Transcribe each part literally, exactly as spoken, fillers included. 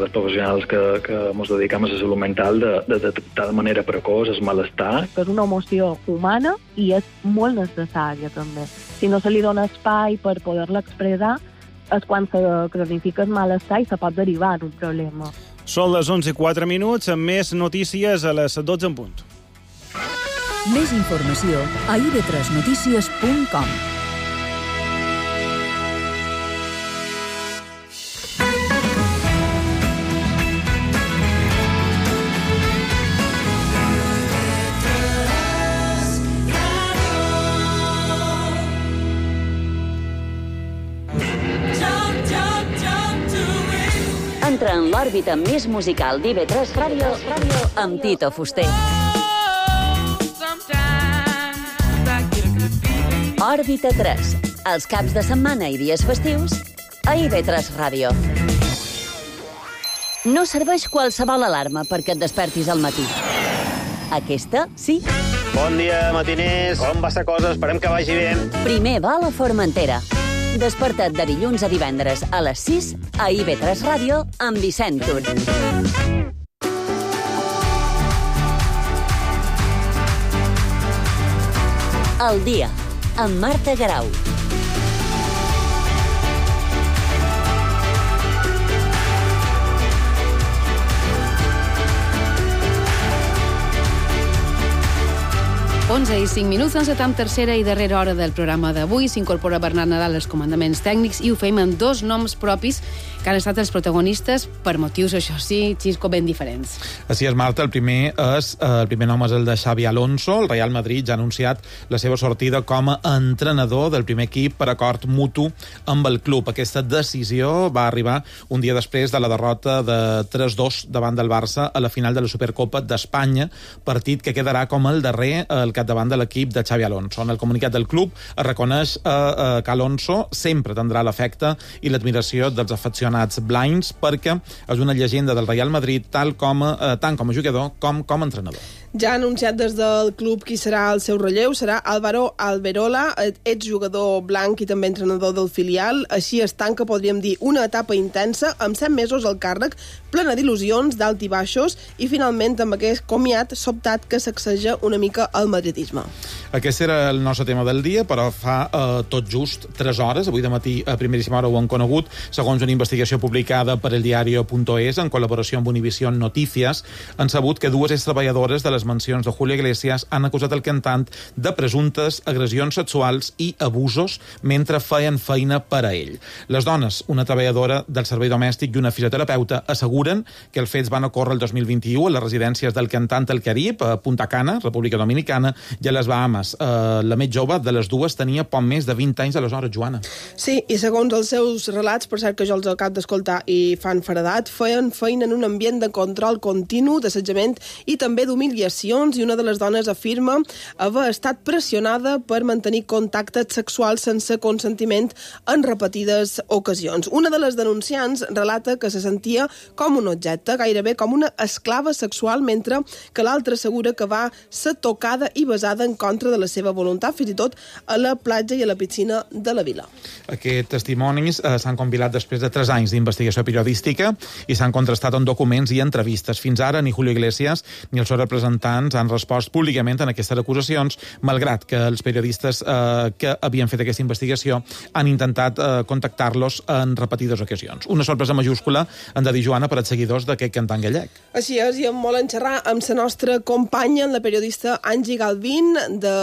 dels professionals que, que ens dedicam a la salut mental de, de detectar de manera precoç el malestar. És una emoció humana i és molt necessària, també. Si no se li dona espai per poder-la expressar, és quan se cronifica el malestar i se pot derivar en un problema. Són les onze i quatre minuts, amb més notícies a les dotze en punt. Més informació a i ve tres notícies punt com. Entra en l'òrbita més musical d'I ve tres Ràdio amb Tito Fuster. Òrbita tres, els caps de setmana i dies festius a I ve tres Ràdio. No serveix qualsevol alarma perquè et despertis al matí. Aquesta, sí. Bon dia, matiners. Com va la cosa? Esperem que vagi bé. Primer va a la Formentera. Desperta't de dilluns a divendres a les sis a I ve tres Ràdio amb Vicent Tur. El dia, amb Marta Garau. onze i cinc minuts, encetam tercera i darrera hora del programa d'avui. S'incorpora Bernat Nadal als comandaments tècnics i ho fem amb dos noms propis que han estat els protagonistes per motius, això sí, Xisco, ben diferents. Així és, Marta. El primer, és, el primer nom és el de Xavi Alonso. El Real Madrid ja ha anunciat la seva sortida com a entrenador del primer equip per acord mutu amb el club. Aquesta decisió va arribar un dia després de la derrota de tres dos davant del Barça a la final de la Supercopa d'Espanya, partit que quedarà com el darrer al capdavant de l'equip de Xavi Alonso. En el comunicat del club es reconeix eh, eh, que Alonso sempre tindrà l'afecte i l'admiració dels aficionats blinds perquè és una llegenda del Real Madrid tal com, eh, tant com a jugador com com a entrenador. Ja ha anunciat des del club qui serà el seu relleu. Serà Álvaro Alberola, exjugador blanc i també entrenador del filial. Així es tanca, podríem dir, una etapa intensa amb set mesos al càrrec, plena d'il·lusions, d'alt i baixos, i finalment amb aquest comiat sobtat que sacseja una mica el madridisme. Aquest era el nostre tema del dia, però fa eh, tot just tres hores, avui de matí a primeríssima hora ho han conegut, segons una investigació publicada per el diario punto es en col·laboració amb Univision Noticias, han sabut que dues extreballadores de les mansions de Julio Iglesias han acusat el cantant de presumptes agressions sexuals i abusos mentre feien feina per a ell. Les dones, una treballadora del servei domèstic i una fisioterapeuta, asseguren que els fets van ocórrer el dos mil vint-i-u a les residències del cantant al Carib, a Punta Cana, República Dominicana, i a les Bahamas. Uh, la més jove de les dues tenia poc més de vint anys aleshores, Joana. Sí, i segons els seus relats, per cert que jo els acabo d'escoltar i fan feredat, feien feina en un ambient de control continu, d'assetjament i també d'humiliacions, i una de les dones afirma haver estat pressionada per mantenir contactes sexuals sense consentiment en repetides ocasions. Una de les denunciants relata que se sentia com un objecte, gairebé com una esclava sexual, mentre que l'altra assegura que va ser tocada i besada en contra de la seva voluntat, fins i tot a la platja i a la piscina de la vila. Aquests testimonis eh, s'han compilat després de tres anys d'investigació periodística i s'han contrastat en documents i entrevistes. Fins ara ni Julio Iglesias ni els seus representants han respost públicament en aquestes acusacions, malgrat que els periodistes eh, que havien fet aquesta investigació han intentat eh, contactar-los en repetides ocasions. Una sorpresa majúscula, han de dir, Joana, per als seguidors d'aquest cantant gallec. Així és, i em volen xerrar amb la nostra companya, la periodista Angie Galvín, de,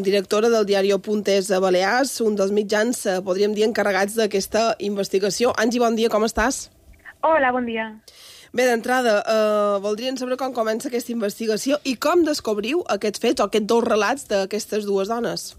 directora del diario Puntes a Balears, un dels mitjans, eh, podríem dir, encarregats d'aquesta investigació. Angie, bon dia, com estàs? Hola, bon dia. Bé, d'entrada, eh, voldríem saber com comença aquesta investigació i com descobriu aquests fets o aquests dos relats d'aquestes dues dones.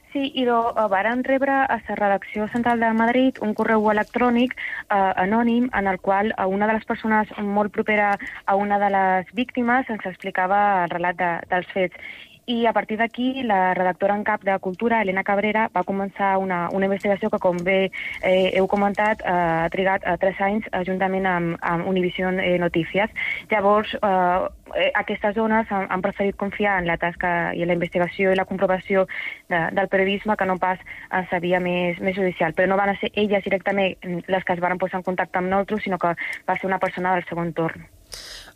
Sí, i do, uh, varen rebre a la redacció central de Madrid un correu electrònic uh, anònim en el qual uh, una de les persones molt propera a una de les víctimes ens explicava el relat de, dels fets. I a partir d'aquí, la redactora en cap de Cultura, Elena Cabrera, va començar una, una investigació que, com bé eh, heu comentat, eh, ha trigat eh, tres anys eh, juntament amb, amb Univision eh, Notícies. Llavors, eh, aquestes zones han, han preferit confiar en la tasca i en la investigació i la comprovació de, del periodisme que no pas en sa via més, més judicial. Però no van ser elles directament les que es van posar en contacte amb nosaltres, sinó que va ser una persona del seu entorn.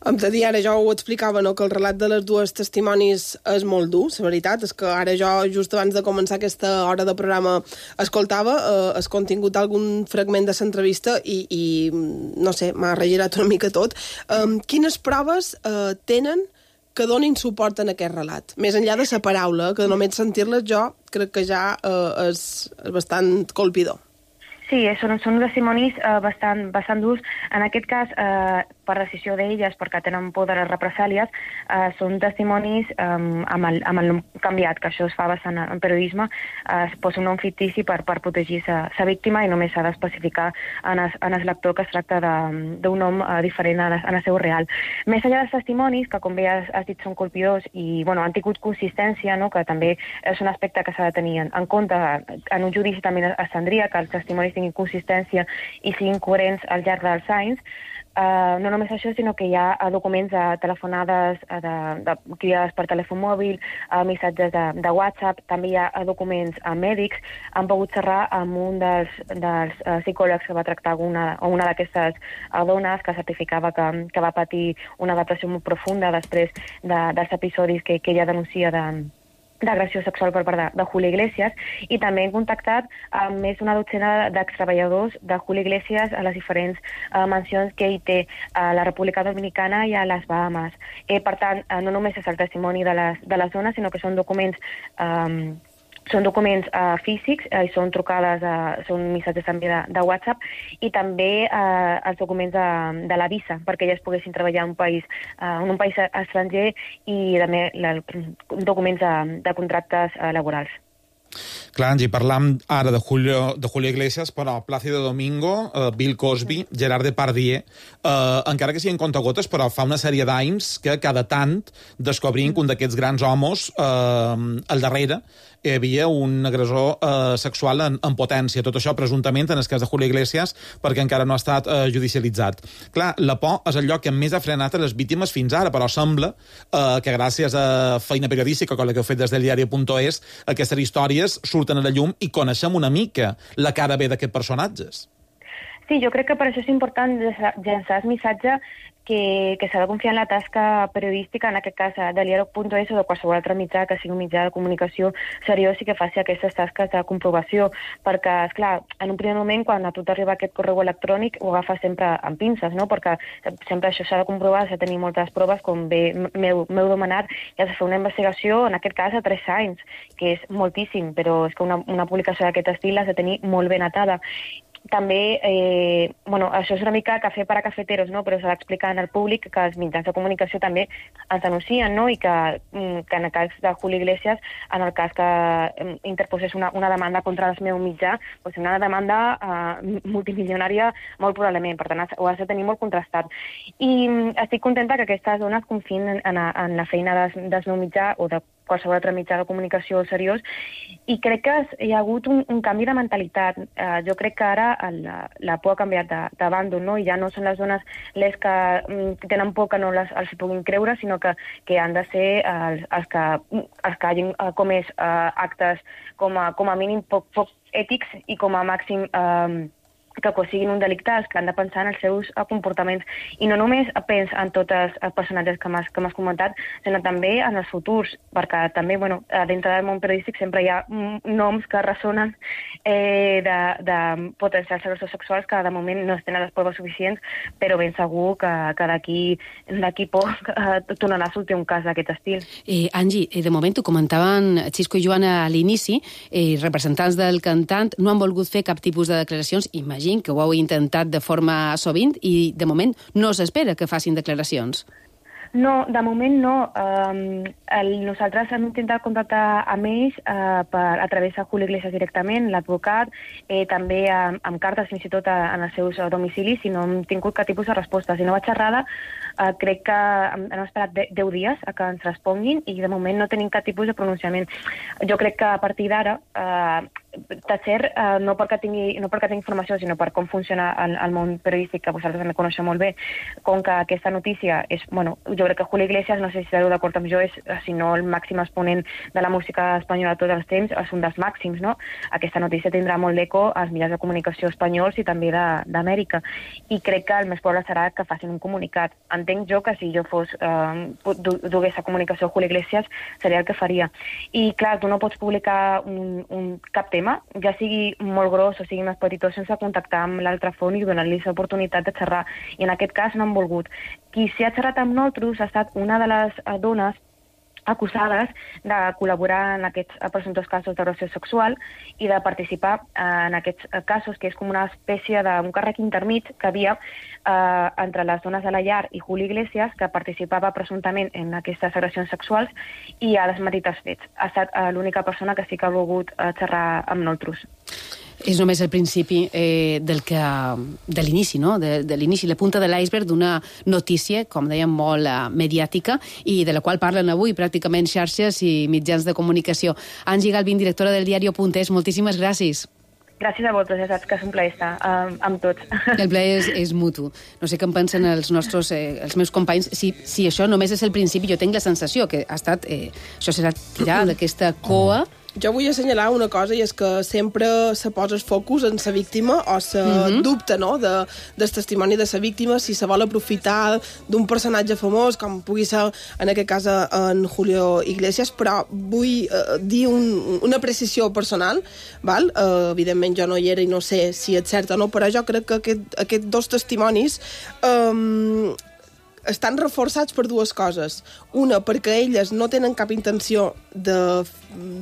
Em de dir, ara jo ho explicava, no?, que el relat de les dues testimonis és molt dur, la veritat, és que ara jo, just abans de començar aquesta hora de programa, escoltava eh, el contingut d'algun fragment de l'entrevista i, i, no sé, m'ha regirat una mica tot. Eh, quines proves eh, tenen que donin suport en aquest relat? Més enllà de la paraula, que només sentir-les jo crec que ja eh, és, és bastant colpidor. Sí, són, són testimonis eh, bastant, bastant durs. En aquest cas, eh, per decisió d'elles, perquè tenen por de les represàlies, eh, són testimonis eh, amb, el, amb el nom canviat, que això es fa bastant en periodisme, eh, es posa un nom fictici per, per protegir sa víctima i només s'ha d'especificar en, es, en el lector que es tracta d'un nom eh, diferent en el, en el seu real. Més enllà dels testimonis, que com bé has, has dit són colpidors i bueno, han tingut consistència, no?, que també és un aspecte que s'ha de tenir en, en compte. En un judici també es tindria que els testimonis tinguin consistència i siguin coherents al llarg dels anys. Uh, no només això, sinó que hi ha uh, documents de telefonades, uh, de, de cridades per telèfon mòbil, uh, missatges de, de WhatsApp, també hi ha uh, documents uh, mèdics. Han pogut xerrar amb un dels, dels uh, psicòlegs que va tractar una, una d'aquestes uh, dones que certificava que, que va patir una depressió molt profunda després de, dels episodis que, que ella denuncia de d'agressió sexual per part de, de Julio Iglesias, i també hem contactat amb més d'una dotzena d'extreballadors de Julio Iglesias a les diferents uh, mansions que ell té a la República Dominicana i a les Bahamas. Eh, per tant, uh, no només és el testimoni de les, de les zones, sinó que són documents um, són documents uh, físics, uh, i són trucades, uh, són missatges també de, de WhatsApp, i també uh, els documents de, de la visa, perquè elles poguessin treballar en un país, uh, en un país estranger, i també la, documents de, de contractes uh, laborals. Clar, Angie, parlam ara de Julio, de Julio Iglesias, però Plácido Domingo, uh, Bill Cosby, Gerard Depardieu, uh, encara que siguin contagotes, però fa una sèrie d'anys que cada tant descobrim que un d'aquests grans homes uh, al darrere hi havia un agressor eh, sexual en, en potència. Tot això, presumptament, en el cas de Julio Iglesias, perquè encara no ha estat eh, judicialitzat. Clar, la por és el lloc que més ha frenat a les víctimes fins ara, però sembla eh, que gràcies a feina periodística, com la que heu fet des del diari punt es, aquestes històries surten a la llum i coneixem una mica la cara B d'aquests personatges. Sí, jo crec que per això és important llançar el missatge que, que s'ha de confiar en la tasca periodística, en aquest cas del diari punt es o de qualsevol altre mitjà que sigui un mitjà de comunicació seriós i que faci aquestes tasques de comprovació, perquè, esclar, en un primer moment, quan a tu t'arriba aquest correu electrònic, ho agafes sempre amb pinces, no?, perquè sempre això s'ha de comprovar, s'ha de tenir moltes proves, com bé m'heu demanat, i has de fer una investigació, en aquest cas, a tres anys, que és moltíssim, però és que una, una publicació d'aquest estil has de tenir molt ben atada. També, eh, bueno, això és una mica cafè per a cafeteros, no?, però s'ha d'explicar en el públic que els mitjans de comunicació també ens denuncien, no?, i que, que en el cas de Julio Iglesias, en el cas que interposés una, una demanda contra el meu mitjà, doncs una demanda eh, multimilionària molt probablement, per tant ho has de tenir molt contrastat. I estic contenta que aquestes dones confiïn en, en, en la feina del, del meu mitjà o de qualsevol altre mitjà de comunicació seriós, i crec que hi ha hagut un, un canvi de mentalitat. Uh, jo crec que ara la, la por ha canviat de, de bàndol, no? I ja no són les dones les que mm, tenen por que no les, els puguin creure, sinó que, que han de ser els, els, que, els que hagin uh, comès uh, actes com a, com a mínim poc, poc ètics i com a màxim uh, que siguin un delicte, que han de pensar en els seus comportaments. I no només pens en tots els personatges que m'has que m'has comentat, sinó també en els futurs, perquè també, bueno, dintre del món periodístic sempre hi ha noms que ressonen eh, de, de potencials agressors sexuals que de moment no es tenen les proves suficients, però ben segur que, que d'aquí d'aquí poc eh, tornarà a sortir un cas d'aquest estil. Eh, Angie, de moment ho comentaven Xisco i Joana a l'inici, eh, representants del cantant no han volgut fer cap tipus de declaracions, imagina't que ho heu intentat de forma sovint i, de moment, no s'espera que facin declaracions. No, de moment no. Um, el, nosaltres hem intentat contactar amb ells uh, per, a través de Julio Iglesias directament, l'advocat, eh, també amb, amb cartes fins i tot a, en els seus domicilis, i no hem tingut cap tipus de resposta. Si no vaig xerrada, uh, crec que hem, hem esperat deu dies a que ens responguin i de moment no tenim cap tipus de pronunciament. Jo crec que a partir d'ara, uh, Tatser, uh, no perquè tingui, no perquè tingui informació, sinó per com funciona el, el món periodístic, que vosaltres també coneixeu molt bé, com que aquesta notícia és, bueno, jo crec que Julio Iglesias, no sé si estareu d'acord amb jo, és, si no el màxim exponent de la música espanyola de tots els temps, és un dels màxims, no? Aquesta notícia tindrà molt d'eco als mitjans de comunicació espanyols i també d'Amèrica. I crec que el més probable serà que facin un comunicat. Entenc jo que si jo fos, eh, dugués a comunicació a Julio Iglesias, seria el que faria. I clar, tu no pots publicar un, un cap tema, ja sigui molt gros o sigui més petitó, sense contactar amb l'altra font i donar-li l'oportunitat de xerrar. I en aquest cas no han volgut. Qui s'hi ha xerrat amb nosaltres ha estat una de les dones acusades de col·laborar en aquests presumptes casos d'agressió sexual i de participar en aquests casos, que és com una espècie d'un càrrec intermig que havia eh, entre les dones de la llar i Julio Iglesias, que participava presumptament en aquestes agressions sexuals i ha desmentit els fets. Ha estat eh, l'única persona que sí que ha volgut eh, xerrar amb nosaltres. És només el principi eh, del que, de l'inici, no? De, de l'inici, la punta de l'iceberg d'una notícia, com dèiem, molt uh, mediàtica i de la qual parlen avui pràcticament xarxes i mitjans de comunicació. Angie Galvin, directora del diario.es, moltíssimes gràcies. Gràcies a vosaltres, ja saps que és un plaer estar uh, amb tots. El plaer és, és mutu. No sé què en pensen els nostres, eh, els meus companys. Si, si això només és el principi, jo tinc la sensació que ha estat, eh, això serà tirar d'aquesta coa. Jo vull assenyalar una cosa, i és que sempre se posa el focus en la víctima o se mm-hmm. dubta, no?, de, del testimoni de la víctima, si se vol aprofitar d'un personatge famós, com pugui ser en aquest cas en Julio Iglesias, però vull eh, dir un, una precisió personal, val? Eh, evidentment jo no hi era i no sé si és cert o no, però jo crec que aquest, aquests dos testimonis eh, estan reforçats per dues coses. Una, perquè elles no tenen cap intenció de,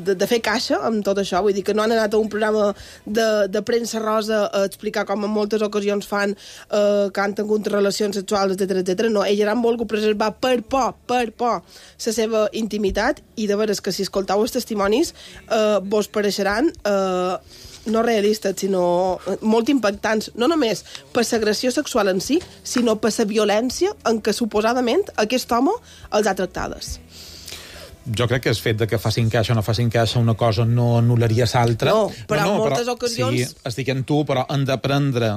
de, de fer caixa amb tot això, vull dir que no han anat a un programa de, de premsa rosa a explicar, com en moltes ocasions fan, eh, que han tingut relacions sexuals, etcètera, etcètera. No, elles han volgut preservar per por, per por, la seva intimitat, i de veres que si escoltau els testimonis eh, vos pareixeran eh, no realistes, sinó molt impactants, no només per l'agressió sexual en si, sinó per la violència en què suposadament aquest home els ha tractades. Jo crec que el fet de que facin caixa o no facin caixa una cosa no anul·laria l'altra. No, però no, no, en moltes però, ocasions... Sí, estic en tu, però han d'aprendre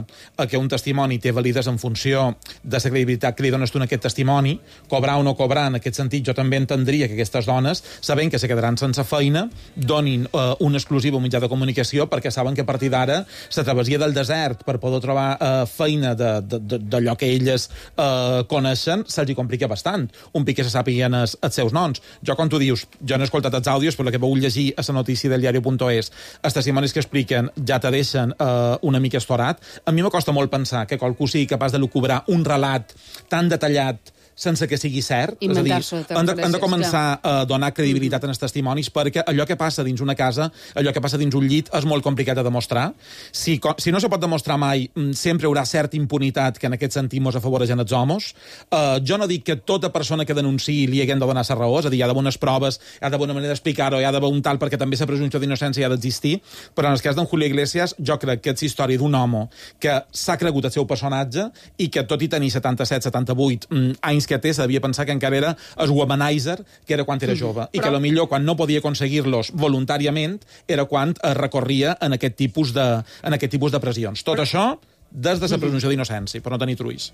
que un testimoni té valides en funció de la credibilitat que li dones tu en aquest testimoni. Cobrar o no cobrar, en aquest sentit, jo també entendria que aquestes dones, sabent que se quedaran sense feina, donin uh, un exclusiu mitjà de comunicació, perquè saben que a partir d'ara la travessia del desert per poder trobar uh, feina d'allò que elles uh, coneixen se'ls complica bastant. Un pic que se sàpiguen els, els seus noms. Jo, com tu dius, jo no he escoltat els àudios, però la que vau llegir a la notícia del diario.es, els testimonis que expliquen ja te deixen uh, una mica estorat. A mi m'acosta molt pensar que qualcú sigui capaç de lucubrar un relat tan detallat sense que sigui cert. És a dir, han de, han de començar a donar credibilitat en els testimonis, perquè allò que passa dins una casa, allò que passa dins un llit, és molt complicat de demostrar. Si, si no se pot demostrar mai, sempre hi haurà certa impunitat que en aquest sentit mos afavoreixen els homes. Uh, jo no dic que tota persona que denunciï li haguem de donar la raó, és a dir, hi ha d'haver unes proves, hi ha d'haver una manera d'explicar-ho, hi ha d'haver un tal, perquè també la presumpció d'innocència ha d'existir, però en el cas d'en Julio Iglesias, jo crec que és història d'un home que s'ha cregut el seu personatge i que, tot i tenir setanta-set setanta-vuit anys que té, s'havia pensar que encara era el womanizer que era quan era jove, i que a lo millor quan no podia aconseguir-los voluntàriament era quan es recorria en aquest tipus de, en aquest tipus de pressions. Tot això des de la presumpció d'innocència, per no tenir truís.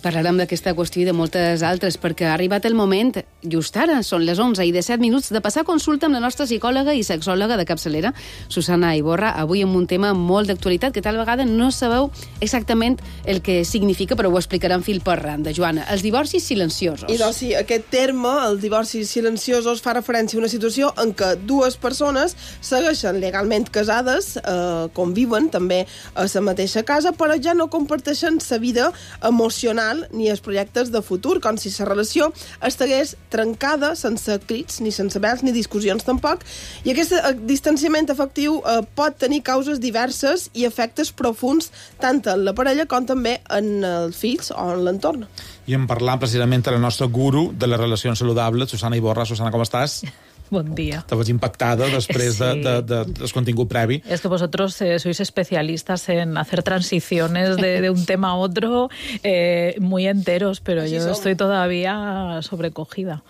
Parlarem d'aquesta qüestió i de moltes altres, perquè ha arribat el moment, just ara, són les onze i disset minuts, de passar consulta amb la nostra psicòloga i sexòloga de capçalera, Susana Iborra, avui amb un tema molt d'actualitat, que tal vegada no sabeu exactament el que significa, però ho explicarem fil per randa. Joana, els divorcis silenciosos. I doncs sí, aquest terme, els divorcis silenciosos, fa referència a una situació en què dues persones segueixen legalment casades, eh, conviuen també a la mateixa casa, però ja no comparteixen la vida emocional personal ni els projectes de futur, com si la relació estigués trencada sense crits, ni sense vels, ni discussions tampoc. I aquest distanciament afectiu eh, pot tenir causes diverses i efectes profuns tant en la parella com també en els fills o en l'entorn. I en parlant precisament de la nostra guru de les relacions saludables, Susana Iborra. Susana, com estàs? Buen día. Te vas impactada después sí. de, de, de, de contenido previo. Es que vosotros eh, sois especialistas en hacer transiciones de, de un tema a otro eh, muy enteros, pero Així yo som. Estoy todavía sobrecogida.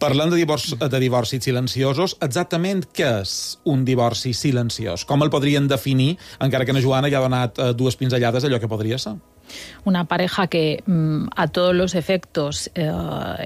Parlant de divorci, de divorcis silenciosos, exactament què és un divorci silenciós? Com el podrien definir, encara que na Joana ja ha donat eh, dues pinzellades allò que podria ser? Una pareja que mmm, a todos los efectos eh,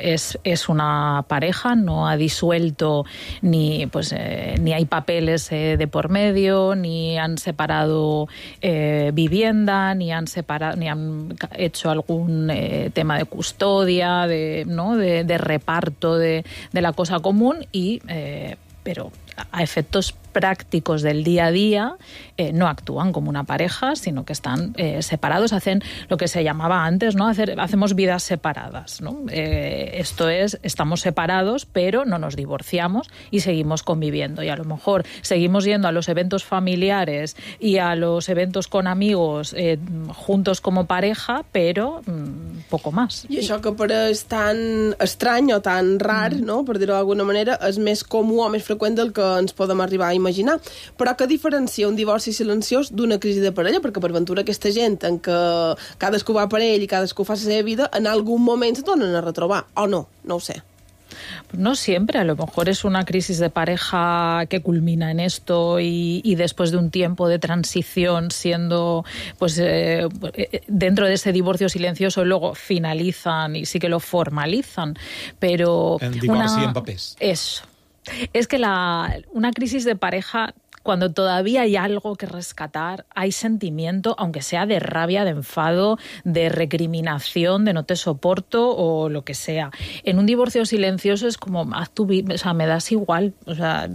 es, es una pareja, no ha disuelto ni, pues, eh, ni hay papeles eh, de por medio, ni han separado eh, vivienda, ni han, separado, ni han hecho algún eh, tema de custodia, de, ¿no? de, de reparto de, de la cosa común, y, eh, pero a efectos prácticos del día a día eh, no actúan como una pareja, sino que están eh, separados, hacen lo que se llamaba antes, ¿no? Hacer, hacemos vidas separadas, ¿no? Eh, esto es, estamos separados, pero no nos divorciamos y seguimos conviviendo. Y a lo mejor seguimos yendo a los eventos familiares y a los eventos con amigos eh, juntos como pareja, pero mmm, poco más. I això que pareix tan estrany o tan rar, mm. no? Per dir-ho d'alguna manera, és més comú o més freqüent del que ens podem arribar a imaginar. Però què diferencia un divorci silenciós d'una crisi de parella? Perquè per ventura aquesta gent en què cadascú va per ell i cadascú fa la seva vida, en algun moment se tornen a retrobar, o no? No ho sé. No siempre, a lo mejor es una crisis de pareja que culmina en esto y, y después de un tiempo de transición siendo, pues, eh, dentro de ese divorcio silencioso luego finalizan y sí que lo formalizan, pero... En divorci una... en papers. Eso. Es que la, una crisis de pareja, cuando todavía hay algo que rescatar, hay sentimiento, aunque sea de rabia, de enfado, de recriminación, de no te soporto o lo que sea. En un divorcio silencioso es como, haz tu vida, o sea, me das igual. O sea,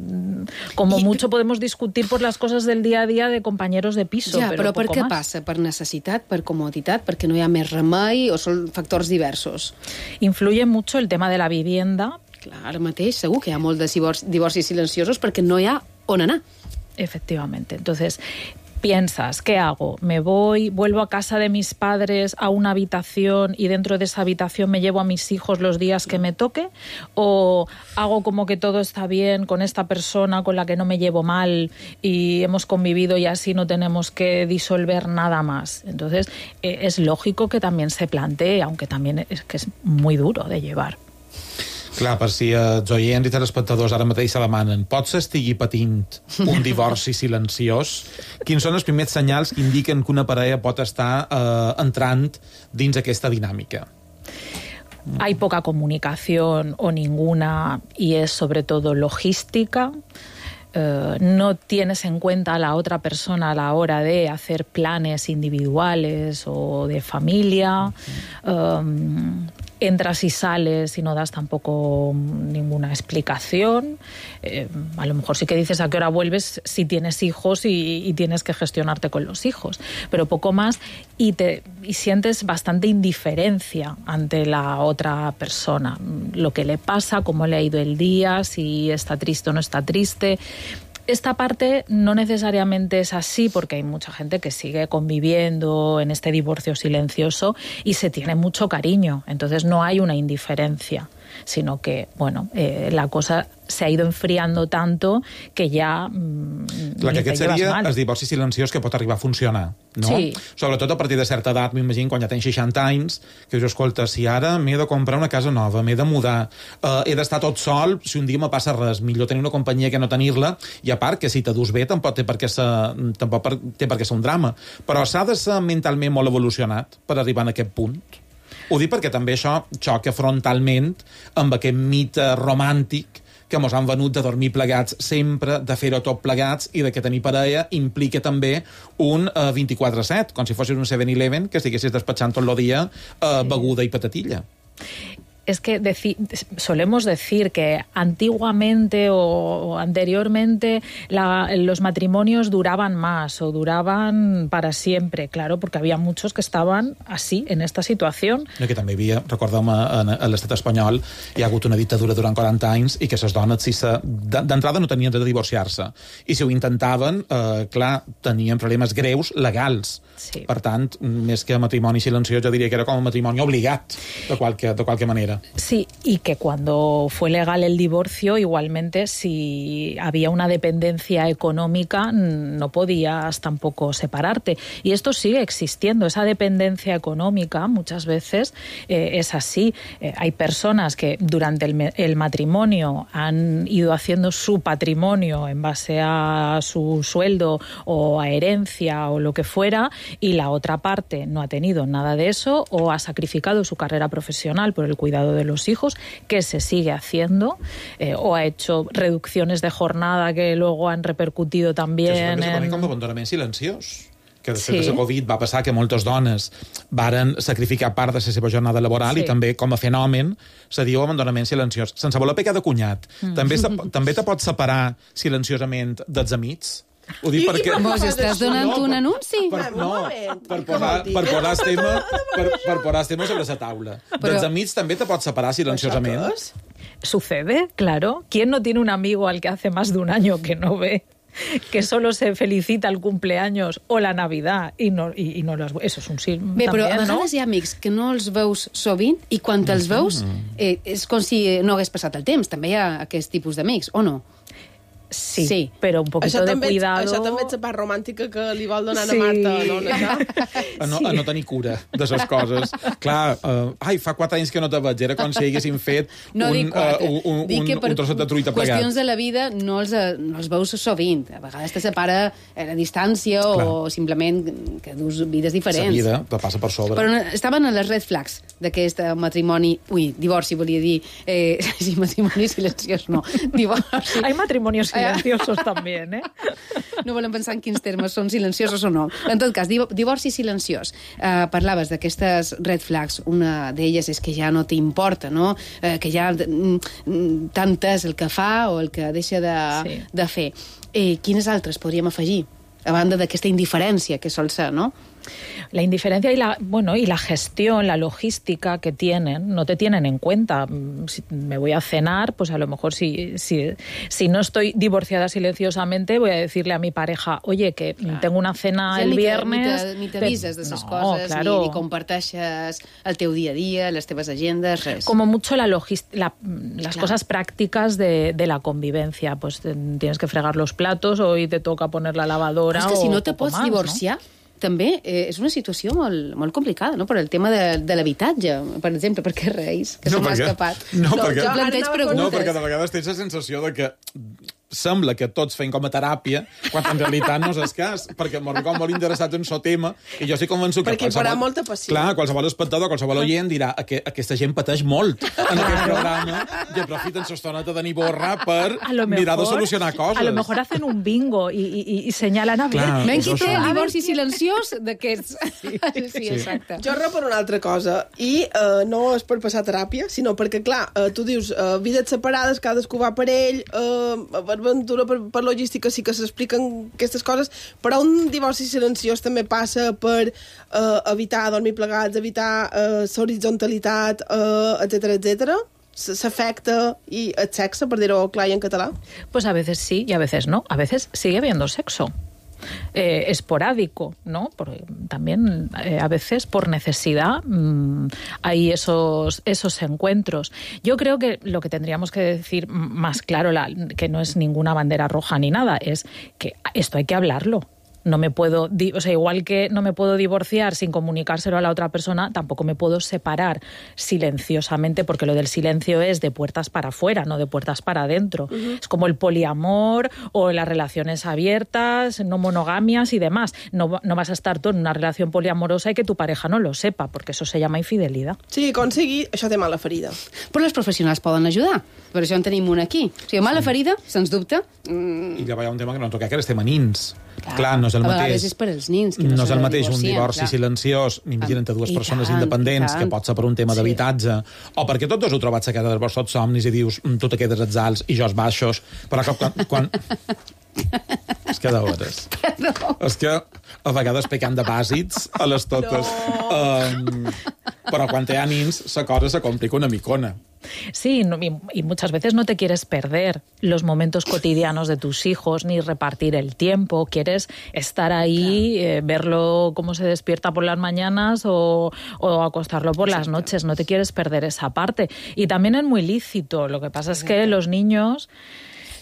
como I... mucho podemos discutir por las cosas del día a día de compañeros de piso, ja, però, però per poco què más. passa? Per necessitat, per comoditat, perquè no hi ha més remei o són factors diversos? Influye mucho el tema de la vivienda. Clar, ara mateix segur que hi ha molts de divorcis silenciosos perquè no hi ha on anar. Efectivamente. Entonces, piensas, ¿qué hago? ¿Me voy, vuelvo a casa de mis padres a una habitación y dentro de esa habitación me llevo a mis hijos los días que me toque? ¿O hago como que todo está bien con esta persona con la que no me llevo mal y hemos convivido y así no tenemos que disolver nada más? Entonces, eh, es lógico que también se plantee, aunque también es que es muy duro de llevar. Clar, per si els oients i telespectadors ara mateix se demanen, potser estigui patint un divorci silenciós? Quins són els primers senyals que indiquen que una parella pot estar eh, entrant dins aquesta dinàmica? Hay poca comunicación o ninguna, y es sobre todo logística. Uh, no tienes en cuenta a la otra persona a la hora de hacer planes individuales o de familia. Uh-huh. um, entras y sales y no das tampoco ninguna explicación. Eh, a lo mejor sí que dices a qué hora vuelves si tienes hijos y, y tienes que gestionarte con los hijos, pero poco más, y, te, y sientes bastante indiferencia ante la otra persona. Lo que le pasa, cómo le ha ido el día, si está triste o no está triste. Esta parte no necesariamente es así porque hay mucha gente que sigue conviviendo en este divorcio silencioso y se tiene mucho cariño. Entonces no hay una indiferencia, sino que, bueno, eh, la cosa se ha ido enfriando tanto que ja mmm, Clar, que ni aquest te llevas seria mal. el divorci silenciós que pot arribar a funcionar, no? Sí. Sobretot a partir de certa edat, m'imagino, quan ja tens seixanta anys, que dius, escolta, si ara m'he de comprar una casa nova, m'he de mudar, eh, he d'estar tot sol, si un dia me passa res, millor tenir una companyia que no tenir-la, i a part que si te dus bé tampoc té per què ser, tampoc per, té per què ser un drama. Però s'ha de ser mentalment molt evolucionat per arribar a aquest punt. Ho dic perquè també això xoca frontalment amb aquest mite romàntic que mos han venut de dormir plegats sempre, de fer-ho tot plegats i de que tenir parella implica també un uh, vint-i-quatre set, com si fossis un seven eleven que estiguessis despatxant tot el dia uh, beguda i patatilla. es que deci- solemos decir que antiguamente o, o anteriormente la, los matrimonios duraban más o duraban para siempre, claro, porque había muchos que estaban así, en esta situación. No, que també hi havia, recordem, a, a l'estat espanyol hi ha hagut una dictadura durant quaranta anys i que les dones, si se, d'entrada, no tenien dret a divorciar-se. I si ho intentaven, eh, clar, tenien problemes greus legals. Sí. Per tant, més que matrimoni silenciós, jo diria que era com un matrimoni obligat, de qualque, de qualque manera. Sí, y que cuando fue legal el divorcio, igualmente, si había una dependencia económica, no podías tampoco separarte. Y esto sigue existiendo, esa dependencia económica muchas veces eh, es así. Eh, hay personas que durante el, el matrimonio han ido haciendo su patrimonio en base a su sueldo o a herencia o lo que fuera, y la otra parte no ha tenido nada de eso o ha sacrificado su carrera profesional por el cuidado de los hijos, que se sigue haciendo, eh, o ha hecho reducciones de jornada que luego han repercutido también que això també en... com d'abandonament silenciós, que després Sí. de la Covid va passar que moltes dones varen sacrificar part de la seva jornada laboral Sí. i també, com a fenomen, se diu abandonament silenciós. Sense voler pecar de cunyat, Mm. també, se, també te pots separar silenciosament dels amics? Ho dic I- perquè... i Vos estàs donant un anunci? Per, no, per posar, per posar el tema, per, per posar el tema sobre la taula. Però- Dels amics també te pots separar silenciosament? Sucede, claro. ¿Quién no tiene un amigo al que hace más de un año que no ve? Que solo se felicita el cumpleaños o la Navidad y no, y, y no los... Eso es un sí. Bé, però a también, ¿no? vegades hi ha amics que no els veus sovint i quan els veus eh, és com si no hagués passat el temps. També hi ha aquest tipus d'amics, o no? Sí, sí, però un poquito això de també, cuidado... Això també ets la part romàntica que li vol donar Sí. a Marta, no? Això? A no, a no tenir cura de les coses. Clar, uh, ai, fa quatre anys que no te veig, era com si haguéssim fet No un, dic quatre. uh, un, Dic que un, per un trosset de truita plegat. qüestions de la vida no els, eh, no els veus sovint. A vegades te separa a la distància Clar. o simplement que dus vides La diferents. vida te passa per sobre. Però no- estaven a les red flags d'aquest eh, matrimoni... Ui, divorci, volia dir. Eh, sí, matrimoni silenciós, no. Divorci. Hay matrimonios silenciosos también, ¿eh? No volem pensar en quins termes són silenciosos o no. En tot cas, div- divorci silenciós. Uh, parlaves d'aquestes red flags. Una d'elles és que ja no t'importa, no? Uh, que ja mm, tant és el que fa o el que deixa de, Sí. de fer. Eh, quines altres podríem afegir? A banda d'aquesta indiferència que sol ser, no? La indiferencia y la, bueno, y la gestión, la logística que tienen, no te tienen en cuenta. Si me voy a cenar, pues a lo mejor si, si, si no estoy divorciada silenciosamente, voy a decirle a mi pareja, oye, que tengo una cena Ja el ni te- viernes... Ni te- ni t'avises de les No, coses, claro. ni, ni comparteixes el teu dia a dia, les teves agendes, res. Como mucho la logis- la, las Claro. cosas prácticas de, de la convivencia. Pues te- tienes que fregar los platos, hoy te toca poner la lavadora. Però és que si o no te poco pots más, divorciar, també eh, és una situació molt, molt complicada, no? Per el tema de, de l'habitatge, per exemple, perquè reis, que se m'ha perquè- escapat. No, perquè, jo planteig preguntes. no, perquè de vegades tens la sensació de que sembla que tots fem com a teràpia, quan en realitat no és el cas, perquè m'ho com molt interessat en el tema, i jo estic convençut que Perquè hi haurà molta passió. Clar, qualsevol espectador, qualsevol oient dirà que aquesta gent pateix molt en aquest programa i aprofiten l'estoneta de Niborra per A lo mirar de mejor- solucionar coses. A lo mejor hacen un bingo y, y, y señalan a ver. Clar, Men això qui té sí. el divorci silenciós d'aquests. Sí, sí, exacte. Jo re per una altra cosa, i eh, no és per passar teràpia, sinó perquè, clar, eh, tu dius, eh, vides separades, cadascú va per ell, eh, per aventura, per, per logística, sí que s'expliquen aquestes coses, però un divorci silenciós també passa per eh, evitar dormir plegats, evitar eh, l'horitzontalitat, eh, etcètera, etcètera. S'afecta i el sexe, per dir-ho clar i en català? Pues a veces sí y a veces no. A veces sigue habiendo sexo. Eh, esporádico, ¿no? Porque también eh, a veces por necesidad mmm, hay esos, esos encuentros. Yo creo que lo que tendríamos que decir más claro, la, que no es ninguna bandera roja ni nada, es que esto hay que hablarlo. No me puedo, di- o sea, igual que no me puedo divorciar sin comunicárselo a la otra persona, tampoco me puedo separar silenciosamente, porque lo del silencio es de puertas para afuera, no de puertas para adentro. Uh-huh. Es como el poliamor o las relaciones abiertas, no monogamias y demás. No, no vas a estar tú en una relación poliamorosa y que tu pareja no lo sepa, porque eso se llama infidelidad. Sí, com sigui, això té mala ferida. Però els professionals poden ajudar. Per això en tenim un aquí. O sigui, mala ferida, sens dubte. Mm, I llavors hi ha un tema que no toca, que és el tema nins. Clar, no és el a mateix. A vegades és per als nins. Que no, no és el mateix un divorcien, divorci clar. silenciós, imagina't entre dues I persones tant, independents, i que pot ser per un tema Sí. d'habitatge, o perquè tots dos heu trobat la queda dels vostres somnis i dius, tu te quedes als alts i jo als baixos, però que quan... quan... és que de hores. No. És que a vegades pecant de bàsics a les totes. No. Um, però quan hi ha nins, la cosa se complica una micona. Sí, no, y, y muchas veces no te quieres perder los momentos cotidianos de tus hijos, ni repartir el tiempo. Quieres estar ahí, claro. eh, verlo cómo se despierta por las mañanas o, o acostarlo por Exacto. las noches. No te quieres perder esa parte. Y también es muy lícito. Lo que pasa Exacto. es que los niños...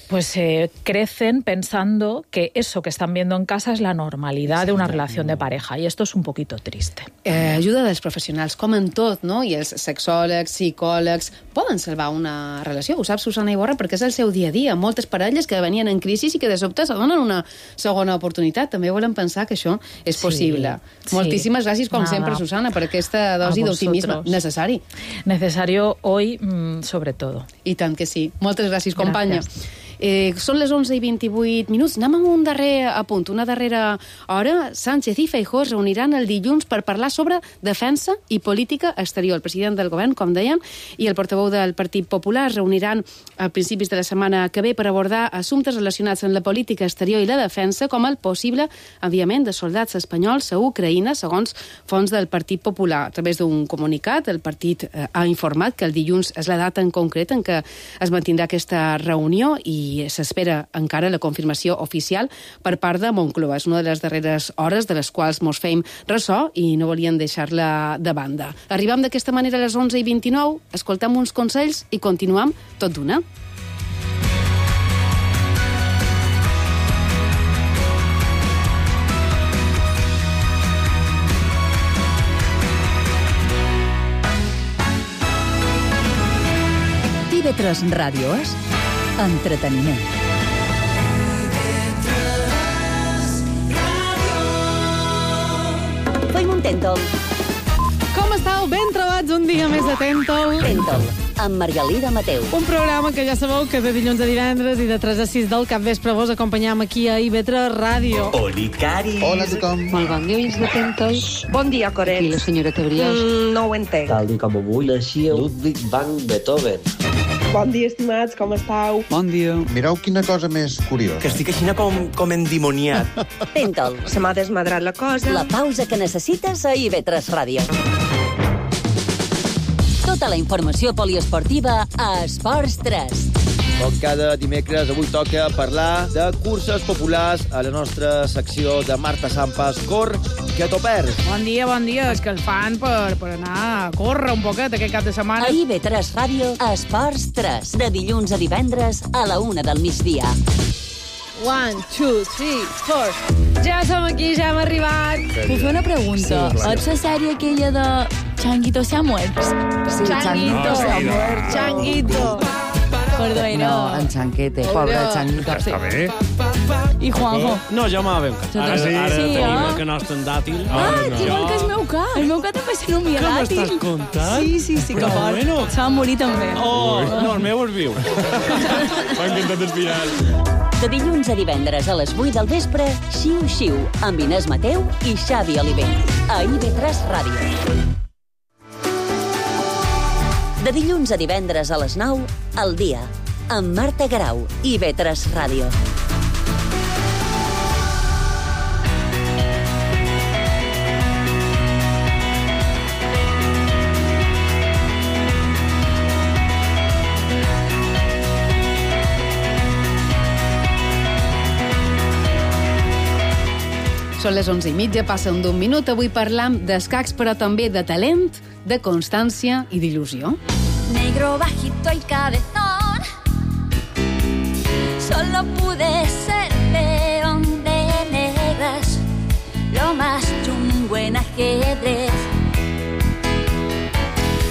pues eh, crecen pensando que eso que están viendo en casa es la normalidad de una relación de pareja, y esto es un poquito triste. Eh, ajuda dels professionals, com en tot, no? I els sexòlegs, psicòlegs, poden salvar una relació. Ho sap Susana Iborra perquè és el seu dia a dia. Moltes parelles que venien en crisi i que de sobte se donen una segona oportunitat. També volen pensar que això és possible. Sí, Moltíssimes sí. gràcies, com Nada. sempre, Susana, per aquesta dosi d'optimisme necessari. Necesario hoy, mmm, sobre todo. I tant que sí. Moltes gràcies, companya. Gràcies. Eh, són les onze i vint-i-vuit minuts. Anem amb un darrer apunt, una darrera hora. Sánchez i Feijóo es reuniran el dilluns per parlar sobre defensa i política exterior. El president del govern, com dèiem, i el portaveu del Partit Popular es reuniran a principis de la setmana que ve per abordar assumptes relacionats amb la política exterior i la defensa, com el possible enviament de soldats espanyols a Ucraïna, segons fonts del Partit Popular. A través d'un comunicat, el partit eh, ha informat que el dilluns és la data en concret en què es mantindrà aquesta reunió i i s'espera encara la confirmació oficial per part de Moncloa. És una de les darreres hores de les quals mos feim ressò i no volien deixar-la de banda. Arribam d'aquesta manera a les onze i vint-i-nou, escoltem uns consells i continuem tot d'una. I ve tres Ràdio és entreteniment. Fem un Tèntol. Com estàu? Ben trobats un dia més de Tèntol. Tèntol, amb Margalida Mateu. Un programa que ja sabeu que de dilluns a divendres i de tres a sis del capvespre vos acompanyam aquí a I V tres Ràdio. Oli, Cari. Hola a tothom. Molt bon dia, oients de Tèntol. Bon dia, Corel. I la senyora Brioix. Mm, no ho entenc. Tal i com avui naixia Ludwig van Beethoven. Bon dia, estimats, com estàu? Bon dia. Mireu quina cosa més curiosa. Que estic així com, com endimoniat. Tèntol. Se m'ha desmadrat la cosa. La pausa que necessites a I V tres Ràdio. Tota la informació poliesportiva a Esports tres. Com cada dimecres, avui toca parlar de curses populars a la nostra secció de Marta Sampas. Cor, que t'ho perds. Bon dia, bon dia. És que el fan per, per anar a córrer un poquet aquest cap de setmana. A I V tres Ràdio, Esports tres. De dilluns a divendres a la una del migdia. One, two, three, four. Ja som aquí, ja hem arribat. Puc fer una pregunta? Sí, és la sèrie aquella de Changuito se ha muerto? Sí, Changuito se ha muerto. Changuito. Perdó, no, en Chanquete, pobre Changuito. Està bé. I Juanjo. No, jo m'ha ben cat. Ara, Sí, ara sí, tenim eh? el canast en dàtil. Ah, que igual que el meu cat. El meu cat també se nomia Què dàtil. m'estàs contant? Sí, sí, sí, que Però fort. bueno. Se va morir també. Oh, no, el meu és viu. M'ha encantat el final. De dilluns a divendres a les vuit del vespre, Xiu Xiu, amb Inés Mateu i Xavi Oliver. A I V tres Ràdio. De dilluns a divendres a les nou, al dia, amb Marta Grau, I V tres Ràdio. Són les onze i mitja, passen d'un minut. Avui parlam d'escacs, però també de talent, de constància i d'il·lusió. Negro bajito y cabezón, solo pude ser peón de negras, lo más chungo en ajedrez.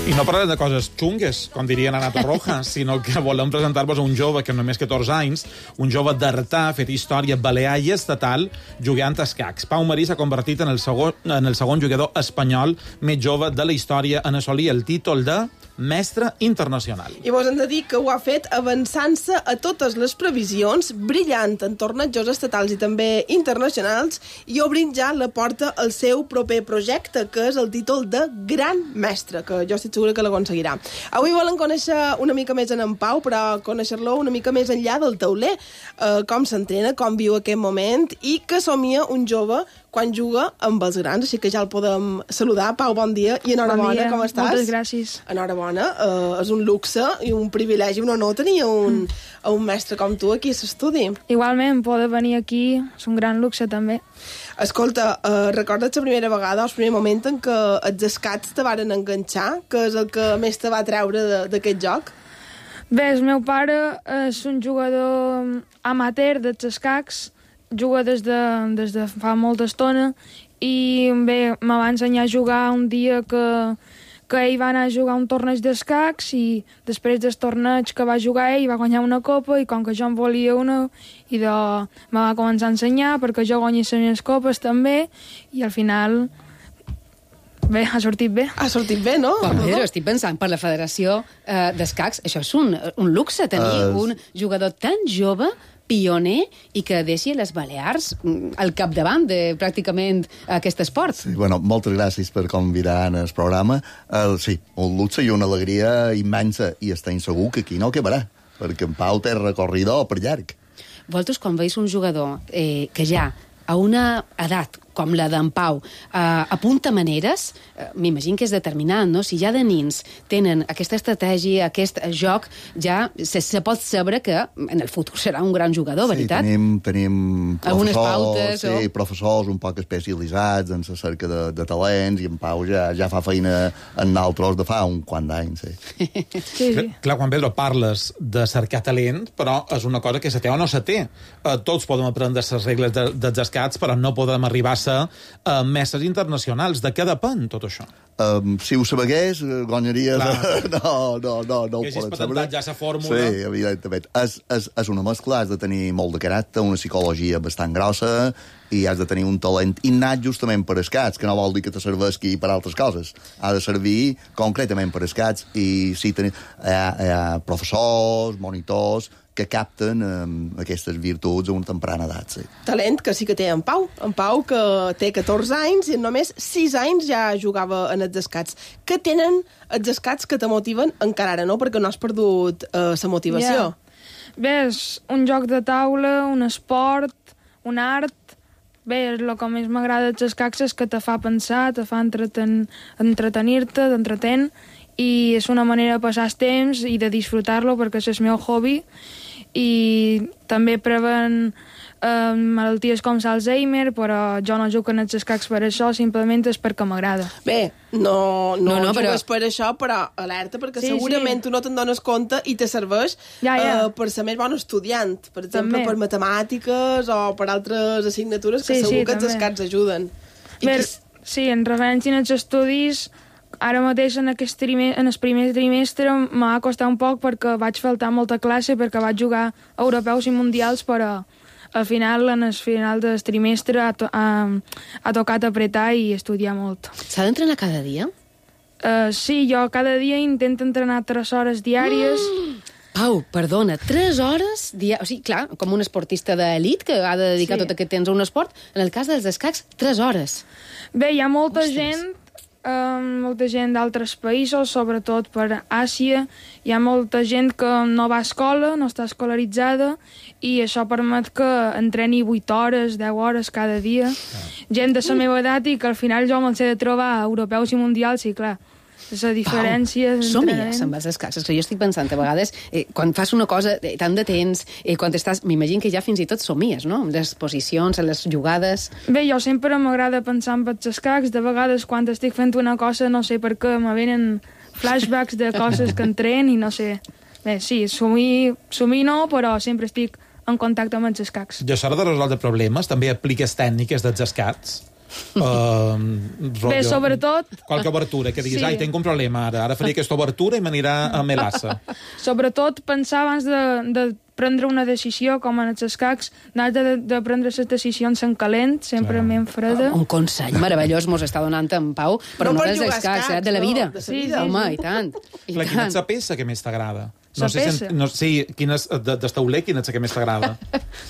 I no parlarem de coses xungues, com dirien a Nato Roja, sinó que volem presentar-vos un jove que només catorze anys, un jove d'Artà, fet història balear i estatal, jugant a escacs. Pau Marí s'ha convertit en el, segon, en el segon jugador espanyol més jove de la història en assolir el títol de mestre internacional. I vos hem de dir que ho ha fet avançant-se a totes les previsions, brillant en tornejos estatals i també internacionals, i obrint ja la porta al seu proper projecte, que és el títol de Gran Mestre, que jo estic segura que l'aconseguirà. Avui volen conèixer una mica més en en Pau, però conèixer-lo una mica més enllà del tauler, eh, com s'entrena, com viu aquest moment, i que somia un jove quan juga amb els grans, així que ja el podem saludar. Pau, bon dia i enhorabona, bon dia. Com estàs? Moltes gràcies. Enhorabona, uh, és un luxe i un privilegi, un honor tenir un, mm. un mestre com tu aquí a l'estudi. Igualment, poder venir aquí és un gran luxe també. Escolta, uh, recordes la primera vegada, el primer moment en què els escats te varen enganxar, que és el que més te va treure d'aquest joc? Bé, el meu pare és un jugador amateur dels escacs, juga des de, des de fa molta estona i bé, me va ensenyar a jugar un dia que, que ell va anar a jugar un torneig d'escacs i després del torneig que va jugar ell va guanyar una copa i com que jo en volia una i de, me va començar a ensenyar perquè jo guanyés les meves copes també i al final bé, ha sortit bé. Ha sortit bé, no? Com bé, estic pensant, per la Federació eh, d'Escacs, això és un, un luxe, tenir uh... un jugador tan jove, pioner, i que deixi les Balears al capdavant de pràcticament aquest esport. Sí, bueno, moltes gràcies per convidar en el programa. Uh, sí, un luxe i una alegria immensa, i estem segur que aquí no acabarà, perquè en Pau té recorridor per llarg. Vosaltres, quan veus un jugador eh, que ja a una edat com la d'en Pau, eh, apunta maneres, eh, m'imagino que és determinant, no? Si ja de nins tenen aquesta estratègia, aquest joc, ja se, se pot saber que en el futur serà un gran jugador, veritat? Sí, tenim, tenim algunes professors, pautes, sí, o... professors un poc especialitzats en la cerca de, de talents, i en Pau ja, ja fa feina en naltros de fa un quant d'anys, sí. sí, sí. Clar, quan Pedro parles de cercar talent, però és una cosa que se té o no se té. Uh, tots podem aprendre les regles de, dels escats, però no podem arribar a ser uh, mestres internacionals. De què depèn tot això? Um, si ho sabegués, guanyaries... no, no, no, no ho que poden saber. Ja la fórmula. Sí, evidentment. És, és, és una mescla, has de tenir molt de caràcter, una psicologia bastant grossa, i has de tenir un talent innat justament per escats, que no vol dir que te serveixi per altres coses. Ha de servir concretament per escats, i sí, ten... hi, ha, hi ha professors, monitors, que capten um, aquestes virtuts a una temprana edat, sí. Talent que sí que té en Pau. En Pau, que té catorze anys i en només sis anys ja jugava en els escats. Què tenen els escats que te motiven encara ara, no? Perquè no has perdut uh, la motivació. Yeah. Bé, és un joc de taula, un esport, un art. Bé, el que més m'agrada dels escacs és que te fa pensar, te fa entreten... entretenir-te, t'entretén, i és una manera de passar el temps i de disfrutar-lo perquè és el meu hobby, i també preven eh, malalties com l'Alzheimer, però jo no jugo en els escacs per això, simplement és perquè m'agrada. Bé, no, no, no, no jugues però... per això, però alerta, perquè sí, segurament sí. tu no te'n dones compte i te serveix ja, ja. Eh, per ser més bon estudiant, per exemple, també. per matemàtiques o per altres assignatures que sí, segur sí, que els també. escats ajuden. I Bé, que... sí, en referència als estudis, ara mateix en, aquest trime, en el primer trimestre m'ha costat un poc perquè vaig faltar molta classe, perquè vaig jugar a europeus i mundials, però al final, en el final del trimestre, ha, to ha, ha tocat apretar i estudiar molt. S'ha d'entrenar cada dia? Uh, sí, jo cada dia intento entrenar tres hores diàries. Mm! Pau, perdona, tres hores diàries? O sigui, clar, com un esportista d'elit que ha de dedicar sí. tot aquest temps a un esport, en el cas dels escacs, tres hores. Bé, hi ha molta Ostres. gent... Um, molta gent d'altres països, sobretot per Àsia. Hi ha molta gent que no va a escola, no està escolaritzada, i això permet que entreni vuit hores, deu hores cada dia. Ah. Gent de la meva edat i que al final jo me'ls he de trobar a europeus i mundials, i clar, la diferència... Pau, somies amb els escacs. Que jo estic pensant, a vegades, eh, quan fas una cosa eh, tant de temps, eh, quan estàs... M'imagino que ja fins i tot somies, no? Amb les posicions, les jugades... Bé, jo sempre m'agrada pensar en els escacs. De vegades, quan estic fent una cosa, no sé per què, me venen flashbacks de coses que entren i no sé... Bé, sí, somir, somir no, però sempre estic en contacte amb els escacs. I a l'hora de resoldre problemes, també apliques tècniques dels escacs? Uh, Bé, sobretot... Qualque obertura, que diguis, Sí. ai, tinc un problema ara, ara faria aquesta obertura i m'anirà a Melassa. Sobretot pensar abans de, de prendre una decisió, com en els escacs, n'has de, de prendre les decisions en calent, sempre en freda. Un consell meravellós mos està donant en Pau, però No no, per dels jugar escacs, escacs, eh, de la no, vida. de la vida. Sí, sí, Home, sí. i tant. I Clar, quina tant. és la peça que més t'agrada? La No sé si, peça? no, sí, quina és, de, d'estauler, quina és la que més t'agrada?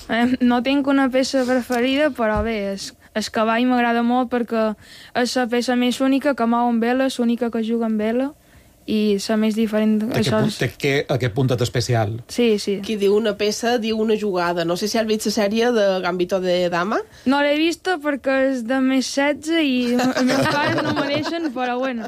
Eh, no tinc una peça preferida, però bé, es, el cavall m'agrada molt perquè és la peça més única que mou amb vela, és l'única que juga amb vela, i la més diferent... Té, Això que, és... té que, aquest puntet especial. Sí, sí. Qui diu una peça, diu una jugada. No sé si has vist la sèrie de Gambito de Dama. No l'he vista perquè és de més setze i els meus pares no mereixen, però bueno.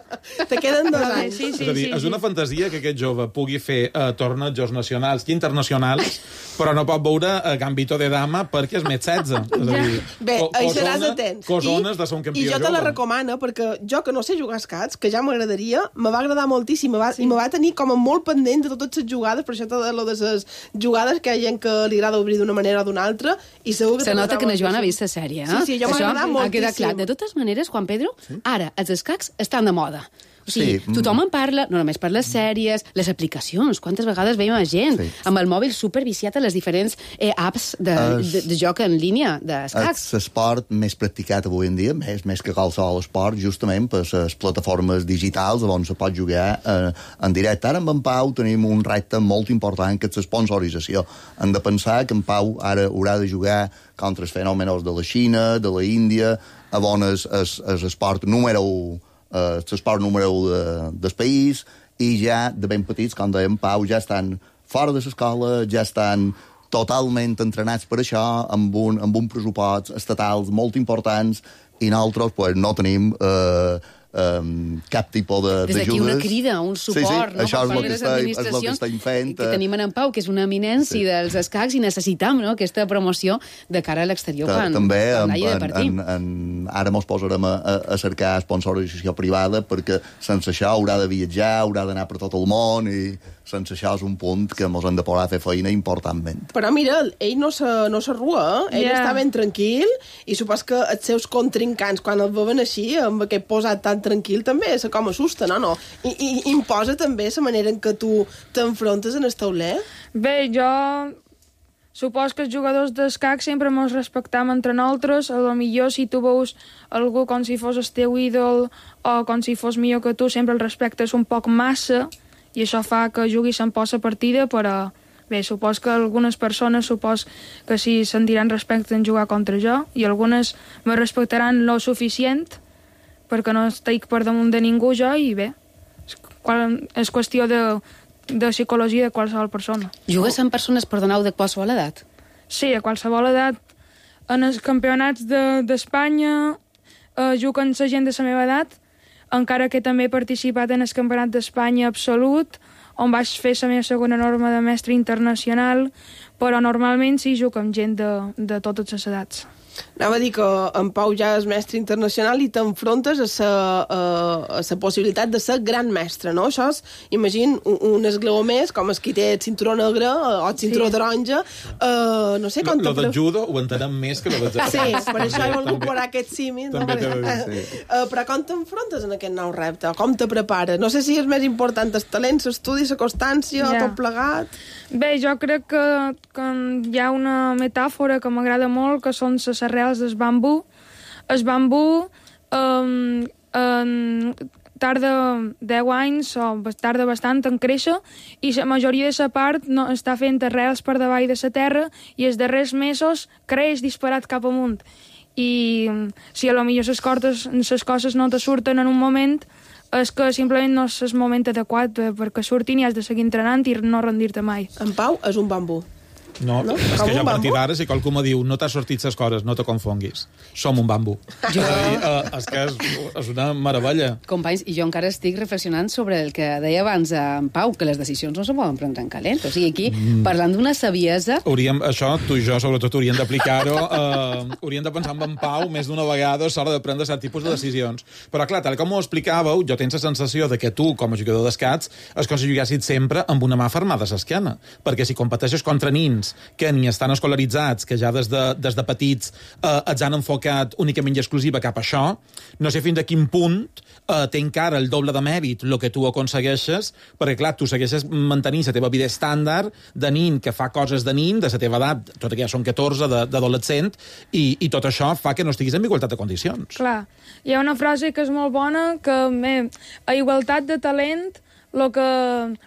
Te queden dos Però bé, anys. Sí, sí, és a dir, sí, és sí. una fantasia que aquest jove pugui fer uh, tornejos nacionals i internacionals, però no pot veure uh, Gambito de Dama perquè és més setze. És a dir, Bé, co- hi seràs cosona- atents. Cosones de ser un campió I jo te la jove. recomano, perquè jo que no sé jugar a escacs, que ja m'agradaria, me va agradar moltíssim, me va, sí. i me va tenir com a molt pendent de totes les jugades, per això tot lo de les jugades que hi ha gent que li agrada obrir d'una manera o d'una altra, i segur que Se nota t'agradarà que na Joana ha moltíssim. vist la sèrie, eh? Sí, sí, jo m'ha Això agradat ha quedat moltíssim. clar. De totes maneres, Juan Pedro, sí? Ara els escacs estan de moda. O sigui, Sí. tothom en parla, no només per les sèries, les aplicacions. Quantes vegades veiem a gent Sí. amb el mòbil superviciat a les diferents eh, apps de, Es- de, de joc en línia, d'escacs. És l'esport més practicat avui en dia, més, més que qualsevol esport, justament per les plataformes digitals on se pot jugar eh, en directe. Ara amb en Pau tenim un repte molt important, que és l'esponsorització. Hem de pensar que en Pau ara haurà de jugar contra els fenòmenos de la Xina, de la Índia, on és l'esport número u, eh, l'esport número u de, del país, i ja de ben petits, com deia en Pau, ja estan fora de l'escola, ja estan totalment entrenats per això, amb un, amb un pressupost estatals molt importants, i nosaltres pues, no tenim eh, um, cap tipus de- Des d'aquí d'ajudes. una crida, un suport, sí, sí, no? això per és part el de que les estem, és el que administracions, estem fent. que tenim en Pau, que és una eminència sí. dels escacs, i necessitam no? aquesta promoció de cara a l'exterior Ta- quan, també quan en, hagi de en, partir. en, en, ara mos posarem a, a, a cercar sponsorització privada, perquè sense això haurà de viatjar, haurà d'anar per tot el món, i sense això és un punt que mos hem de posar a fer feina importantment. Però mira, ell no se, no s'arrua, eh? Ell Ja. està ben tranquil, i supos que els seus contrincants, quan el veuen així, amb aquest posat tan tranquil, també se com assusta, no? no? I, i imposa també la manera en què tu t'enfrontes en el tauler? Bé, jo supos que els jugadors d'escac sempre mos respectam entre nosaltres. A lo millor si tu veus algú com si fos el teu ídol o com si fos millor que tu, sempre el respectes un poc massa, i això fa que juguis en posa partida, però bé, supos que algunes persones supos que sí sentiran respecte en jugar contra jo, i algunes me respectaran lo suficient perquè no estic per damunt de ningú jo, i bé, és, qual, és qüestió de, de psicologia de qualsevol persona. Jugues amb persones, perdoneu, de qualsevol edat? Sí, a qualsevol edat. En els campionats de- d'Espanya de, eh, juguen la gent de la meva edat, encara que també he participat en el campionat d'Espanya absolut, on vaig fer la meva segona norma de mestre internacional, però normalment sí jugo amb gent de, de totes les edats. Anava a dir que en Pau ja és mestre internacional i t'enfrontes a la a, a la possibilitat de ser gran mestre, no? Això és, imagina, un, un esglaó més, com el qui té el cinturó negre o el cinturó Sí. taronja. Uh, no sé Lo, com lo te del judo ho entenem més que lo del Sí, per això he volgut posar aquest símil. No? també t'he de dir, Perquè- sí. Uh, però com t'enfrontes en aquest nou repte? Com te prepares? No sé si és més important el talent, l'estudi, la constància, Ja. tot plegat. Bé, jo crec que, que hi ha una metàfora que m'agrada molt, que són les arrels del bambú. El bambú um, um, tarda deu anys o tarda bastant en créixer, i la majoria de la part no, està fent arrels per davall de la terra, i els darrers mesos creix disparat cap amunt. I um, si a lo millor les coses, les coses no te surten en un moment, és que simplement no és el moment adequat eh, perquè surtin, i has de seguir entrenant i no rendir-te mai. En Pau és un bambú. No, No? és Com que jo un a partir bambú? d'ara, si qualcú me diu no t'ha sortit les coses, no te confonguis. Som un bambú. Jo... És, a dir, eh, és que és, és una meravella. Companys, i jo encara estic reflexionant sobre el que deia abans en Pau, que les decisions no se poden prendre en calent. O sigui, aquí, mm. parlant d'una saviesa... Hauríem, això, tu i jo, sobretot, hauríem d'aplicar-ho. Eh, hauríem de pensar en en Pau més d'una vegada a l'hora de prendre cert tipus de decisions. Però, clar, tal com ho explicàveu, jo tens la sensació de que tu, com a jugador d'escacs, és com si juguessis sempre amb una mà fermada a l'esquena. Perquè si competeixes contra nins nens que ni estan escolaritzats, que ja des de, des de petits eh, els han enfocat únicament i exclusiva cap a això, no sé fins a quin punt eh, té encara el doble de mèrit el que tu aconsegueixes, perquè, clar, tu segueixes mantenint la teva vida estàndard de nin que fa coses de nin, de la teva edat, tot que ja són catorze, d'adolescent, i, i tot això fa que no estiguis en igualtat de condicions. Clar, hi ha una frase que és molt bona, que bé, a igualtat de talent, el que,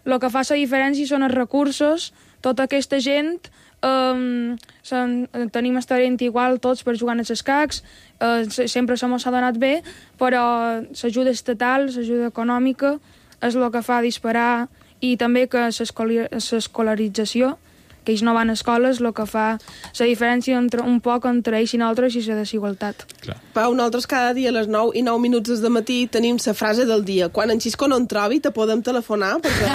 lo que fa la diferència són els recursos. Tota aquesta gent um, sen, tenim el talent igual tots per jugar als escacs, uh, sempre se mos ha donat bé, però l'ajuda estatal, l'ajuda econòmica, és el que fa disparar, i també que l'escolarització, que ells no van a escoles, el que fa la diferència entre, un poc entre ells i nosaltres i la desigualtat. Clar. Pau, nosaltres cada dia a les nou i nou minuts de matí tenim la frase del dia. Quan en Xisco no en trobi, te podem telefonar, perquè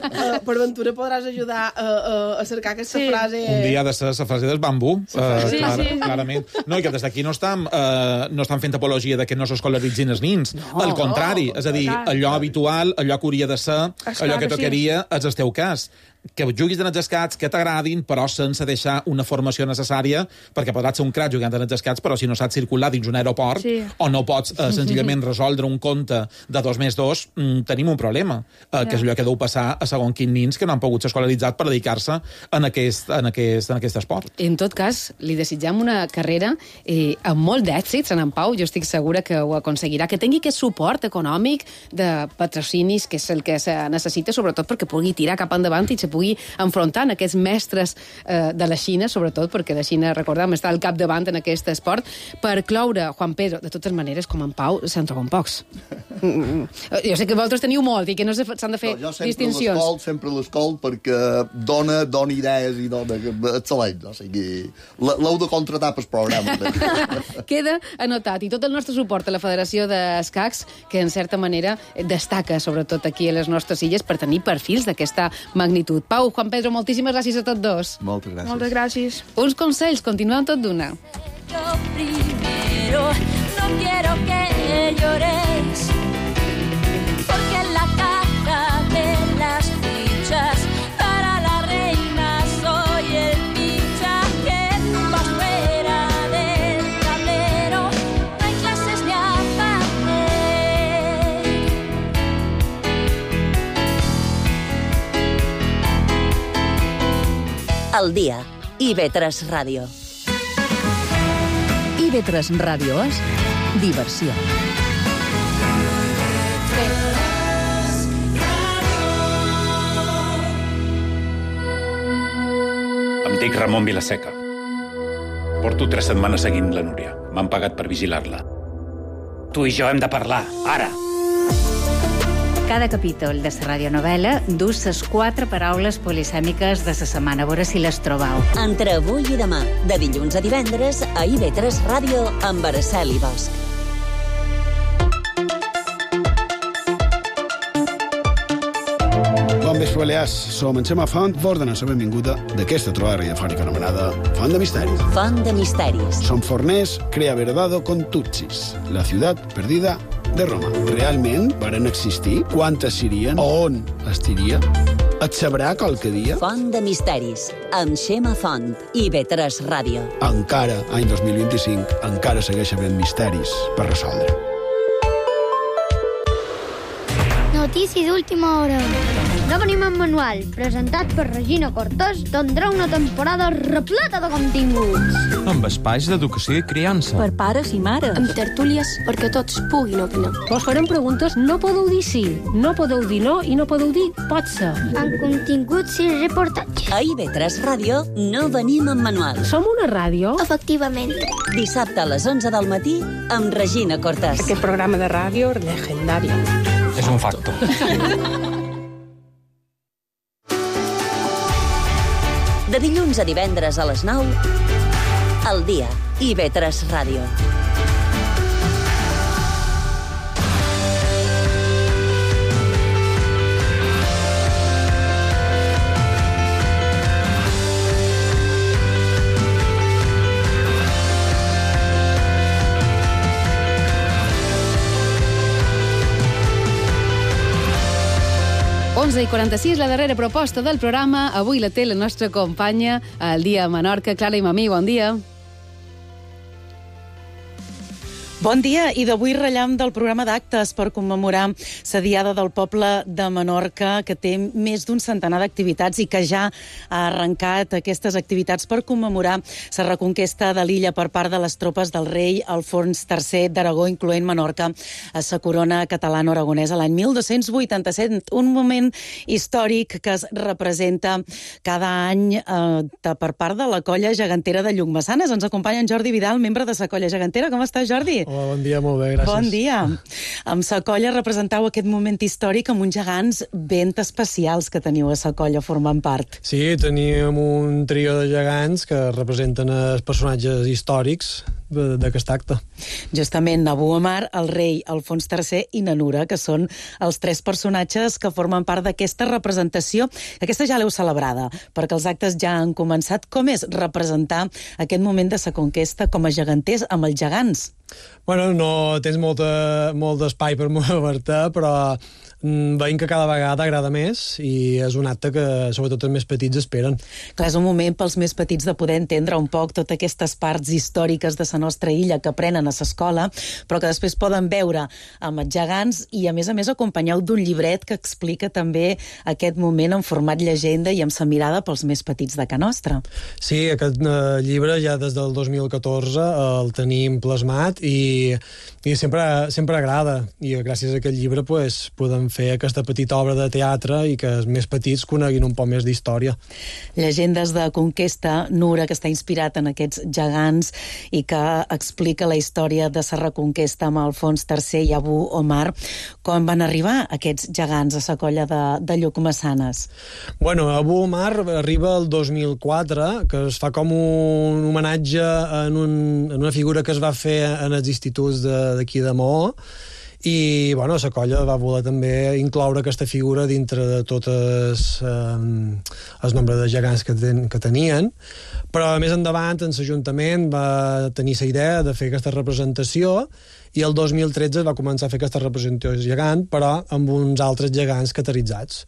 uh, per ventura podràs ajudar a, a, a cercar aquesta sí. frase. Un dia ha de ser la frase del bambú, uh, sí, clar, sí. clarament. No, i que des d'aquí no estan, uh, no estan fent apologia de que no s'escolaritzin els nins. No, al contrari, no, és a dir, allò habitual, allò que hauria de ser, Esclar allò que tocaria, sí. és el teu cas. Que juguis en els escats, que t'agradin, però sense deixar una formació necessària, perquè podràs ser un crac jugant en els escats, però si no saps circular dins un aeroport, sí. o no pots eh, senzillament resoldre un compte de dos més dos, mm, tenim un problema, eh, ja. que és allò que deu passar a segon quin nins que no han pogut ser escolaritzats per dedicar-se en aquest, en, aquest, en aquest esport. En tot cas, li desitjam una carrera eh, amb molt d'èxits, en en Pau, jo estic segura que ho aconseguirà, que tingui aquest suport econòmic de patrocinis, que és el que se necessita, sobretot perquè pugui tirar cap endavant i se pugui enfrontar en aquests mestres eh, de la Xina, sobretot perquè la Xina, recordem, està al capdavant en aquest esport. Per cloure, Juan Pedro, de totes maneres, com en Pau, se'n troben pocs. Mm, jo sé que vosaltres teniu molt i que no s'han de fer no, distincions. Jo sempre l'escolt perquè dona, dona idees i dona excel·lents. O sigui, l'heu de contratar pel programa. Queda anotat. I tot el nostre suport a la Federació d'Escacs, que en certa manera destaca, sobretot aquí a les nostres illes, per tenir perfils d'aquesta magnitud. Pau, Juan Pedro, moltíssimes gràcies a tots dos. Moltes gràcies. Moltes gràcies. Uns consells, continuem tot d'una. Yo primero no quiero que llores, porque en la caja de las fichas para la reina soy el fichaje. Vas fuera del tablero, no hay clases ni aparte. El dia. I ve tres Ràdio. I ve tres Ràdio és diversió. Em dic Ramon Vilaseca. Porto tres setmanes seguint la Núria. M'han pagat per vigilar-la. Tu i jo hem de parlar, ara. Cada capítol de la radionovel·la dus les quatre paraules polisèmiques de la setmana. A veure si les trobau. Entre avui i demà, de dilluns a divendres, a I ve tres Ràdio, amb Araceli Bosch. Bon vespre, Balears. Som en Xema Font, vos donem la benvinguda d'aquesta trobada radiofònica anomenada Font de Misteris. Font de Misteris. Som forners, crea verdado con Tutsis, la ciutat perdida de Roma. Realment varen existir? Quantes serien? On estiria? Et sabrà qualque dia? Font de Misteris, amb Xema Font, I ve tres Ràdio. Encara, any dos mil vint-i-cinc, encara segueix havent misteris per resoldre. Notícies d'última hora. No venim en manual, presentat per Regina Cortés, tindrà una temporada repleta de continguts. Amb espais d'educació i criança. Per pares i mares. Amb tertúlies perquè tots puguin opinar. Vos farem preguntes, no podeu dir sí, no podeu dir no i no podeu dir pot ser. Amb continguts i reportatges. A I ve tres Ràdio no venim en manual. Som una ràdio? Efectivament. Dissabte a les onze del matí amb Regina Cortés. Aquest programa de ràdio legendari. És un facto. De dilluns a divendres a les nou, al dia, I ve tres Ràdio. onze i quaranta-sis, la darrera proposta del programa. Avui la té la nostra companya al Dia a Menorca, Clara Imamí. Bon dia. Bon dia, i d'avui rellam del programa d'actes per commemorar la Diada del Poble de Menorca, que té més d'un centenar d'activitats i que ja ha arrencat aquestes activitats per commemorar la reconquesta de l'illa per part de les tropes del rei Alfons tercer d'Aragó, incloent Menorca a la corona catalana-aragonesa l'any mil dos-cents vuitanta-set. Un moment històric que es representa cada any eh, per part de la colla gegantera de Llucmaçanes. Ens acompanya en Jordi Vidal, membre de la colla gegantera. Com estàs, Jordi? Hola, bon dia, molt bé, gràcies. Bon dia. Amb la colla representau aquest moment històric amb uns gegants ben especials que teniu a la colla formant part. Sí, teníem un trio de gegants que representen els personatges històrics d'aquest acte. Justament Abu Omar, el rei Alfons tercer i Nanura, que són els tres personatges que formen part d'aquesta representació. Aquesta ja l'heu celebrada, perquè els actes ja han començat. Com és representar aquest moment de la conquesta com a geganters amb els gegants? Bueno, no tens molta, molt d'espai per moure-te, però veiem que cada vegada agrada més i és un acte que sobretot els més petits esperen. Clar, és un moment pels més petits de poder entendre un poc totes aquestes parts històriques de la nostra illa que aprenen a l'escola, però que després poden veure amb els gegants i, a més a més, acompanyeu d'un llibret que explica també aquest moment en format llegenda i amb la mirada pels més petits de Ca Nostra. Sí, aquest eh, llibre ja des del dos mil catorze el tenim plasmat i, i sempre, sempre agrada, i gràcies a aquest llibre pues, podem fer aquesta petita obra de teatre i que els més petits coneguin un poc més d'història. Llegendes de conquesta, Nura, que està inspirat en aquests gegants i que explica la història de la reconquesta amb Alfons tercer i Abu Omar. Com van arribar aquests gegants a la colla de, de Llucmaçanes? Bueno, Abu Omar arriba el dos mil quatre, que es fa com un homenatge en, un, en una figura que es va fer en els instituts d'aquí de, de Maó, i bueno, la colla va voler també incloure aquesta figura dintre de totes eh, el nombre de gegants que, ten, que tenien, però més endavant en l'Ajuntament va tenir la idea de fer aquesta representació i el dos mil tretze va començar a fer aquesta representació gegant, però amb uns altres gegants cateritzats.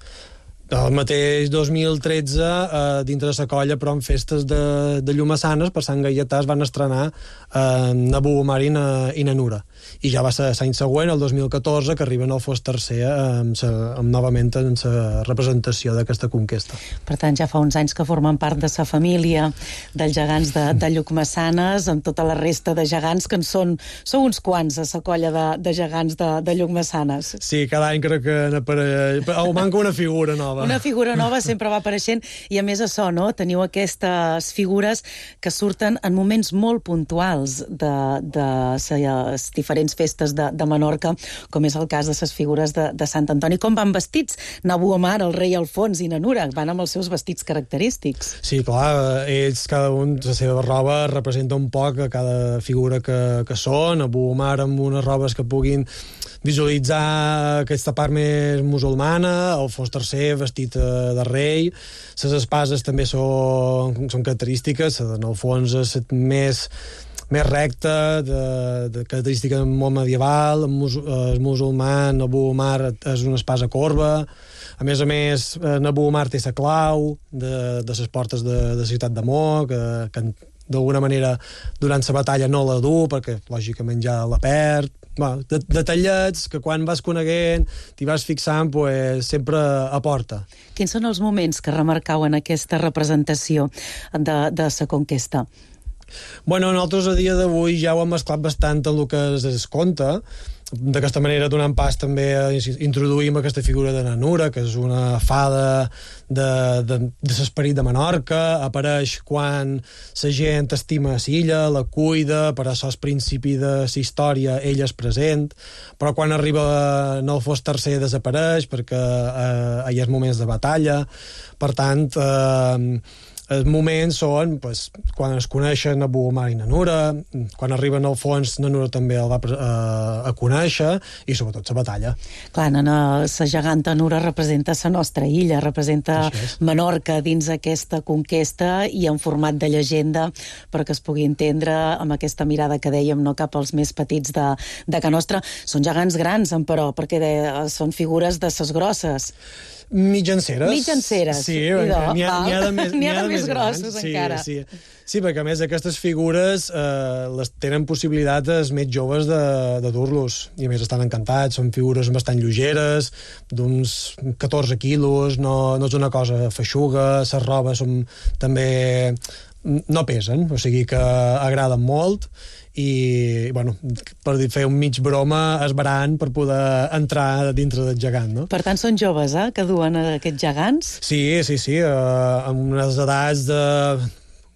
El mateix dos mil tretze, eh, dintre de la colla, però en festes de, de Llucmaçanes, per Sant Gaietà, es van estrenar eh, Abu Omar i, na, i Nanura. I ja va ser l'any següent, el dos mil catorze, que arriben al Alfons tercer amb, sa, amb novament en la representació d'aquesta conquesta. Per tant, ja fa uns anys que formen part de la família dels gegants de, de Llucmaçanes, amb tota la resta de gegants, que en són, són uns quants a la colla de, de gegants de, de Llucmaçanes. Sí, cada any crec que n'apareix... O manca una figura nova. Una figura nova sempre va apareixent, i a més això, no? Teniu aquestes figures que surten en moments molt puntuals de, de les diferents festes de, de Menorca, com és el cas de les figures de, de Sant Antoni. Com van vestits? Abu Omar, el rei Alfons i Nanura van amb els seus vestits característics. Sí, clar, ells, cada un, la seva roba representa un poc a cada figura que, que són. Abu Omar amb unes robes que puguin visualitzar aquesta part més musulmana, Alfons tercer vestit de rei, les espases també són, són característiques, en Alfons és més, més recta, de, de característica molt medieval, el musulman, Abu Omar és una espasa corba, a més a més, Abu Omar té la clau de, de les portes de, de la ciutat de Mo, que, que d'alguna manera durant la batalla no la du, perquè lògicament ja la perd. Bueno, detallets que quan vas coneguent, t'hi vas fixant, pues, sempre aporta. Quins són els moments que remarcau en aquesta representació de, de la conquesta? Bueno, nosaltres a dia d'avui ja ho hem mesclat bastant en el que es, es conta. D'aquesta manera, donant pas també a introduïm aquesta figura de Nanura, que és una fada de, de, de l'esperit de Menorca, apareix quan la gent estima l'illa, la cuida, per això al principi de la història ella és present, però quan arriba Alfons tercer desapareix perquè eh, hi ha moments de batalla. Per tant, eh, els moments són pues, quan es coneixen a Buomar i na Nura, quan arriben al fons na Nura també el va a, a conèixer, i sobretot la batalla. Clar, la geganta Nura representa la nostra illa, representa Menorca dins aquesta conquesta i en format de llegenda perquè es pugui entendre amb aquesta mirada que dèiem, no cap als més petits de, de Can Nostra. Són gegants grans, però, perquè de, són figures de ses grosses. Mitjanceres. Mitjanceres. Sí, n'hi ha, n'hi ha de més, n'hi ha de més grossos, sí, encara. Sí, sí, perquè a més aquestes figures eh, les tenen possibilitat els més joves de, de dur-los, i a més estan encantats, són figures bastant lleugeres, d'uns catorze quilos, no, no és una cosa feixuga, les robes són també no pesen, o sigui que agraden molt, i, bueno, per dir, fer un mig broma esbarant per poder entrar dintre del gegant, no? Per tant, són joves, eh?, que duen aquests gegants? Sí, sí, sí, eh, amb unes edats de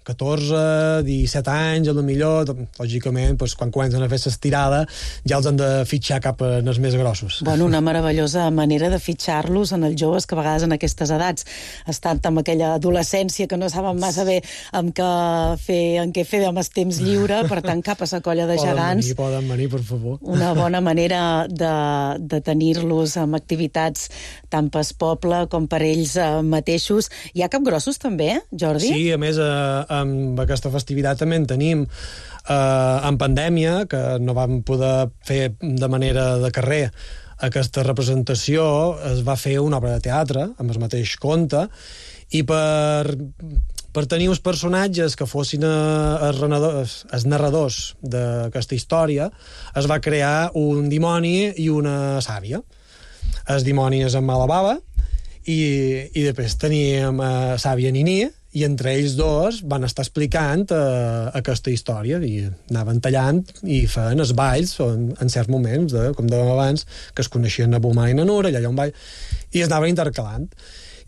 catorze, disset anys, a lo millor, lògicament, doncs, quan comencen a fer l'estirada, ja els han de fitxar cap als més grossos. Bueno, una meravellosa manera de fitxar-los en els joves que a vegades en aquestes edats estan amb aquella adolescència que no saben massa bé amb què fer, en què fer amb el temps lliure, per tant, cap a la colla de gegants. Poden venir, poden venir, per favor. Una bona manera de, de tenir-los amb activitats tant pel poble com per ells mateixos. Hi ha capgrossos també, Jordi? Sí, a més, eh, amb aquesta festivitat també en tenim. Eh, en pandèmia, que no vam poder fer de manera de carrer aquesta representació, es va fer una obra de teatre amb el mateix conte, i per, per tenir uns personatges que fossin els, renadors, els narradors d'aquesta història, es va crear un dimoni i una sàvia. El dimoni és en Malababa, i, i després teníem uh, Sàvia Niní, i entre ells dos van estar explicant uh, aquesta història, i anaven tallant i feien els balls en, en certs moments, de, com dèiem abans, que es coneixien a Buomar i na Nura, allà hi ha un ball, i es anaven intercalant.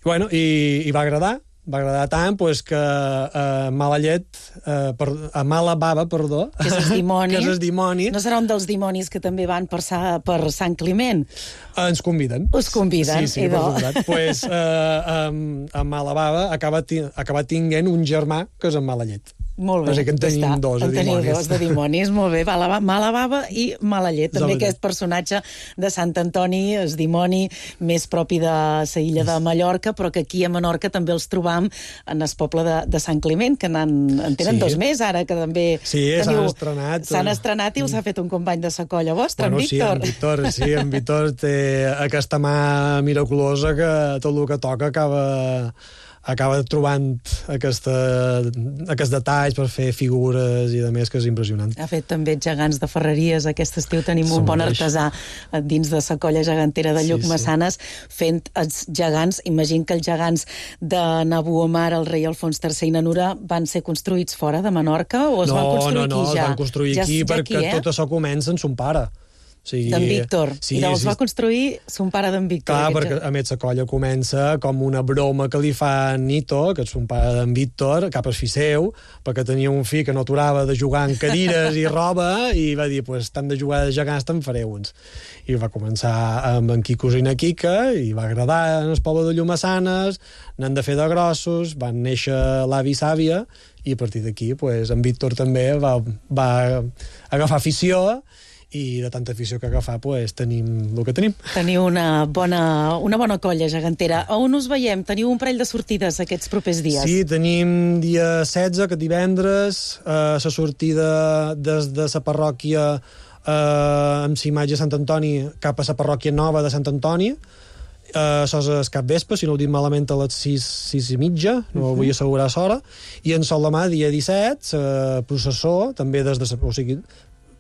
I, bueno, i, i va agradar, va agradar tant pues, que a uh, mala llet, uh, per, a mala bava, perdó, que és el dimoni. que és el dimoni. No serà un dels dimonis que també van per, sa, per Sant Climent? Uh, ens conviden. Us conviden, sí, sí, idò. Per pues, uh, um, a mala bava acaba, acaba tinguent un germà que és en mala llet. Molt bé. O sigui que en tenim està. dos, en de dimonis. dos de dimonis, molt bé. Mala, mala bava i mala llet. També aquest personatge de Sant Antoni, el dimoni més propi de la illa de Mallorca, però que aquí a Menorca també els trobam en el poble de, de Sant Climent, que en, en tenen sí. dos més ara, que també sí, s'han estrenat. S'han estrenat i els ha fet un company de sa colla vostra, bueno, en Víctor. Sí, en Víctor, sí, en Víctor té aquesta mà miraculosa que tot el que toca acaba... acaba trobant aquesta, aquests detalls per fer figures i de més, que és impressionant. Ha fet també gegants de ferreries. Aquest estiu tenim un bon artesà dins de la colla gegantera de Llucmessanes, sí, sí. fent els gegants. Imagino que els gegants de na Buomar, el rei Alfons tercer i na Nura van ser construïts fora de Menorca o es no, van construir no, no, aquí ja? No, es van construir ja aquí perquè eh? tot això comença en son pare. O sigui, d'en Víctor. Sí, I llavors sí. va construir son pare d'en Víctor. Clar, perquè a més la colla comença com una broma que li fa Nito, que és son pare d'en Víctor, cap al fill seu, perquè tenia un fill que no aturava de jugar en cadires i roba, i va dir, pues, tant de jugar de gegants te'n faré uns. I va començar amb en Quicos i na Quica, i va agradar en el poble de Llucmessanes, n'han de fer de grossos, van néixer l'avi i Sàvia, i a partir d'aquí, pues, en Víctor també va, va agafar afició, i de tanta afició que agafar, pues, tenim el que tenim. Teniu una bona, una bona colla gegantera. A on us veiem? Teniu un parell de sortides aquests propers dies? Sí, tenim dia setze, aquest divendres, eh, la sortida des de la parròquia eh, amb la imatge de Sant Antoni cap a la parròquia nova de Sant Antoni. Uh, això és el capvespre, si no ho dic malament, a les sis, sis i mitja, no uh -huh. vull assegurar l'hora, i en Sol de Mà, dia disset, la processó, també des de... O sigui,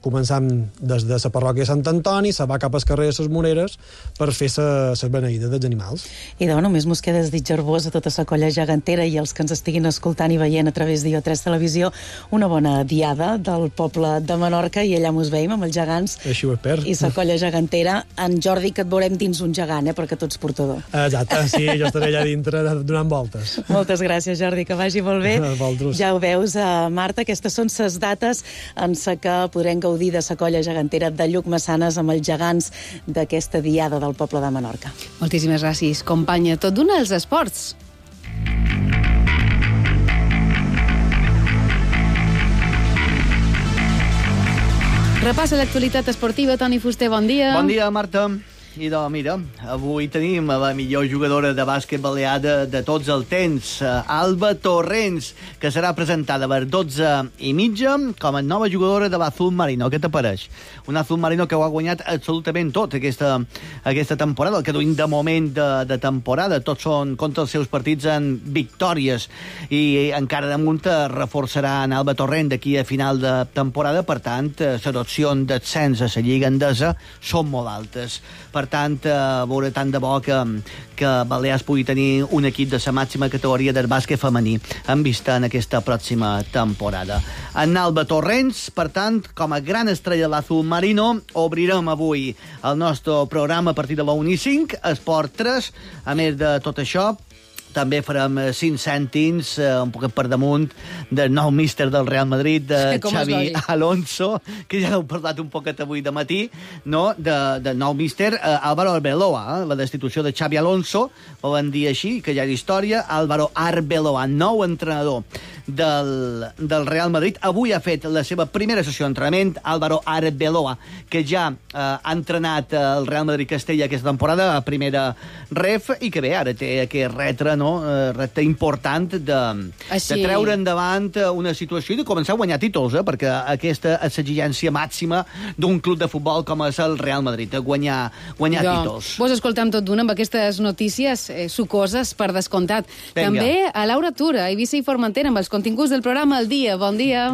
començant des de la parròquia de Sant Antoni, se va cap al carrer de les Moreres per fer la beneïda dels animals. I de només mos queda desitjar-vos a tota la colla gegantera i els que ens estiguin escoltant i veient a través d'I O tres Televisió una bona diada del poble de Menorca, i allà mos veiem amb els gegants. Així ho espero. I la colla gegantera. En Jordi, que et veurem dins un gegant, eh, perquè tu ets portador. Exacte, sí, jo estaré allà dintre donant voltes. Moltes gràcies, Jordi, que vagi molt bé. Ja ho veus, uh, Marta, aquestes són les dates en les que podrem gaudir de la colla gegantera de Llucmessanes amb els gegants d'aquesta diada del poble de Menorca. Moltíssimes gràcies, companya. Tot d'una als esports. Repassa l'actualitat esportiva. Toni Fuster, bon dia. Bon dia, Marta. I doncs, mira, avui tenim la millor jugadora de bàsquet balear de, de tots els temps, Alba Torrents, que serà presentada per dotze i mitja com a nova jugadora de l'Azul Marino. Què t'apareix? Un Azul Marino que ho ha guanyat absolutament tot aquesta, aquesta temporada, el que duim de moment de, de temporada. Tots són contra els seus partits en victòries. I encara damunt reforçarà en Alba Torrent d'aquí a final de temporada. Per tant, les opcions d'ascens a la Lliga Endesa són molt altes. Per tant, a veure tant de bo que, que Balears pugui tenir un equip de la màxima categoria del bàsquet femení en vista en aquesta pròxima temporada. En Alba Torrents, per tant, com a gran estrella de l'Azul Marino, obrirem avui el nostre programa a partir de la una i cinc, Esport tres. A més de tot això, també farem cinc cèntims, eh, un poquet per damunt, del nou míster del Real Madrid, de Com Xavi Alonso, que ja heu parlat un poquet avui de matí, no? de, del nou míster, eh, Álvaro Arbeloa, eh? la destitució de Xavi Alonso, ho van dir així, que ja és història, Álvaro Arbeloa, nou entrenador del, del Real Madrid. Avui ha fet la seva primera sessió d'entrenament, Álvaro Arbeloa, que ja eh, ha entrenat el Real Madrid Castella aquesta temporada, a primera ref, i que bé, ara té aquest retre, no? Uh, repte important de, Així... de treure endavant una situació i de començar a guanyar títols, eh? Perquè aquesta és l'exigència màxima d'un club de futbol com és el Real Madrid, de guanyar, guanyar jo, títols. Vos escoltam tot d'una amb aquestes notícies eh, sucoses per descomptat. Venga. També a Laura Tura, a Eivissa i Formentera, amb els continguts del programa El Dia. Bon dia.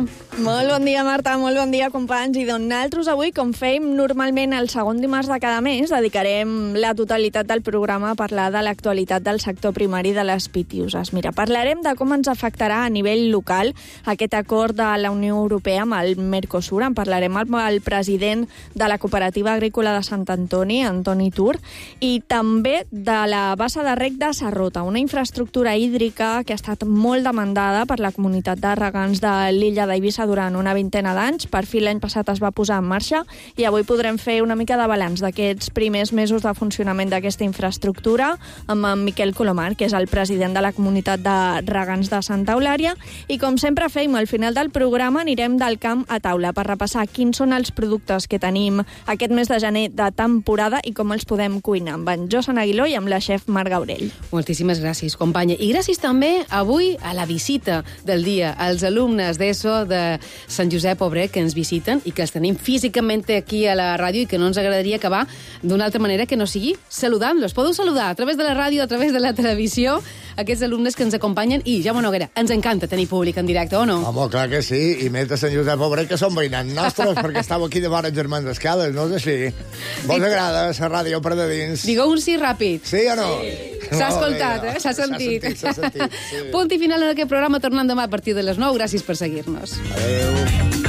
Molt bon dia, Marta, molt bon dia, companys. I doncs nosaltres avui, com fèiem normalment el segon dimarts de cada mes, dedicarem la totalitat del programa a parlar de l'actualitat del sector primari de les pitiuses. Mira, parlarem de com ens afectarà a nivell local aquest acord de la Unió Europea amb el Mercosur. En parlarem amb el president de la Cooperativa Agrícola de Sant Antoni, Antoni Tur, i també de la bassa de rec de Sarrota, una infraestructura hídrica que ha estat molt demandada per la comunitat de regants de l'illa d'Eivissa durant una vintena d'anys. Per fi l'any passat es va posar en marxa i avui podrem fer una mica de balanç d'aquests primers mesos de funcionament d'aquesta infraestructura amb en Miquel Colomar, que és el president de la comunitat de regants de Santa Eulària, i com sempre fem, al final del programa anirem del camp a taula per repassar quins són els productes que tenim aquest mes de gener de temporada i com els podem cuinar amb en Josan Aguiló i amb la xef Marc Gaurell. Moltíssimes gràcies, companya. I gràcies també avui a la visita del dia, als alumnes d'ESO de Sant Josep Obrer que ens visiten i que els tenim físicament aquí a la ràdio i que no ens agradaria acabar d'una altra manera que no sigui saludant-los. Podeu saludar a través de la ràdio, a través de la televisió, aquests alumnes que ens acompanyen i, Jaume Noguera, ens encanta tenir públic en directe, o no? Home, clar que sí, i més de Sant Josep Obrer, que són veïnats nostres, perquè estàveu aquí de vora Germans d'Escales, no és així? Vos agrada la ràdio per de dins? Digueu un sí ràpid. Sí o no? Sí. S'ha escoltat, eh? S'ha sentit. S'ha sentit, s'ha sentit, sí. Punt i final en aquest programa, tornant demà a partir de les nou. Gràcies per seguir-nos. Adéu.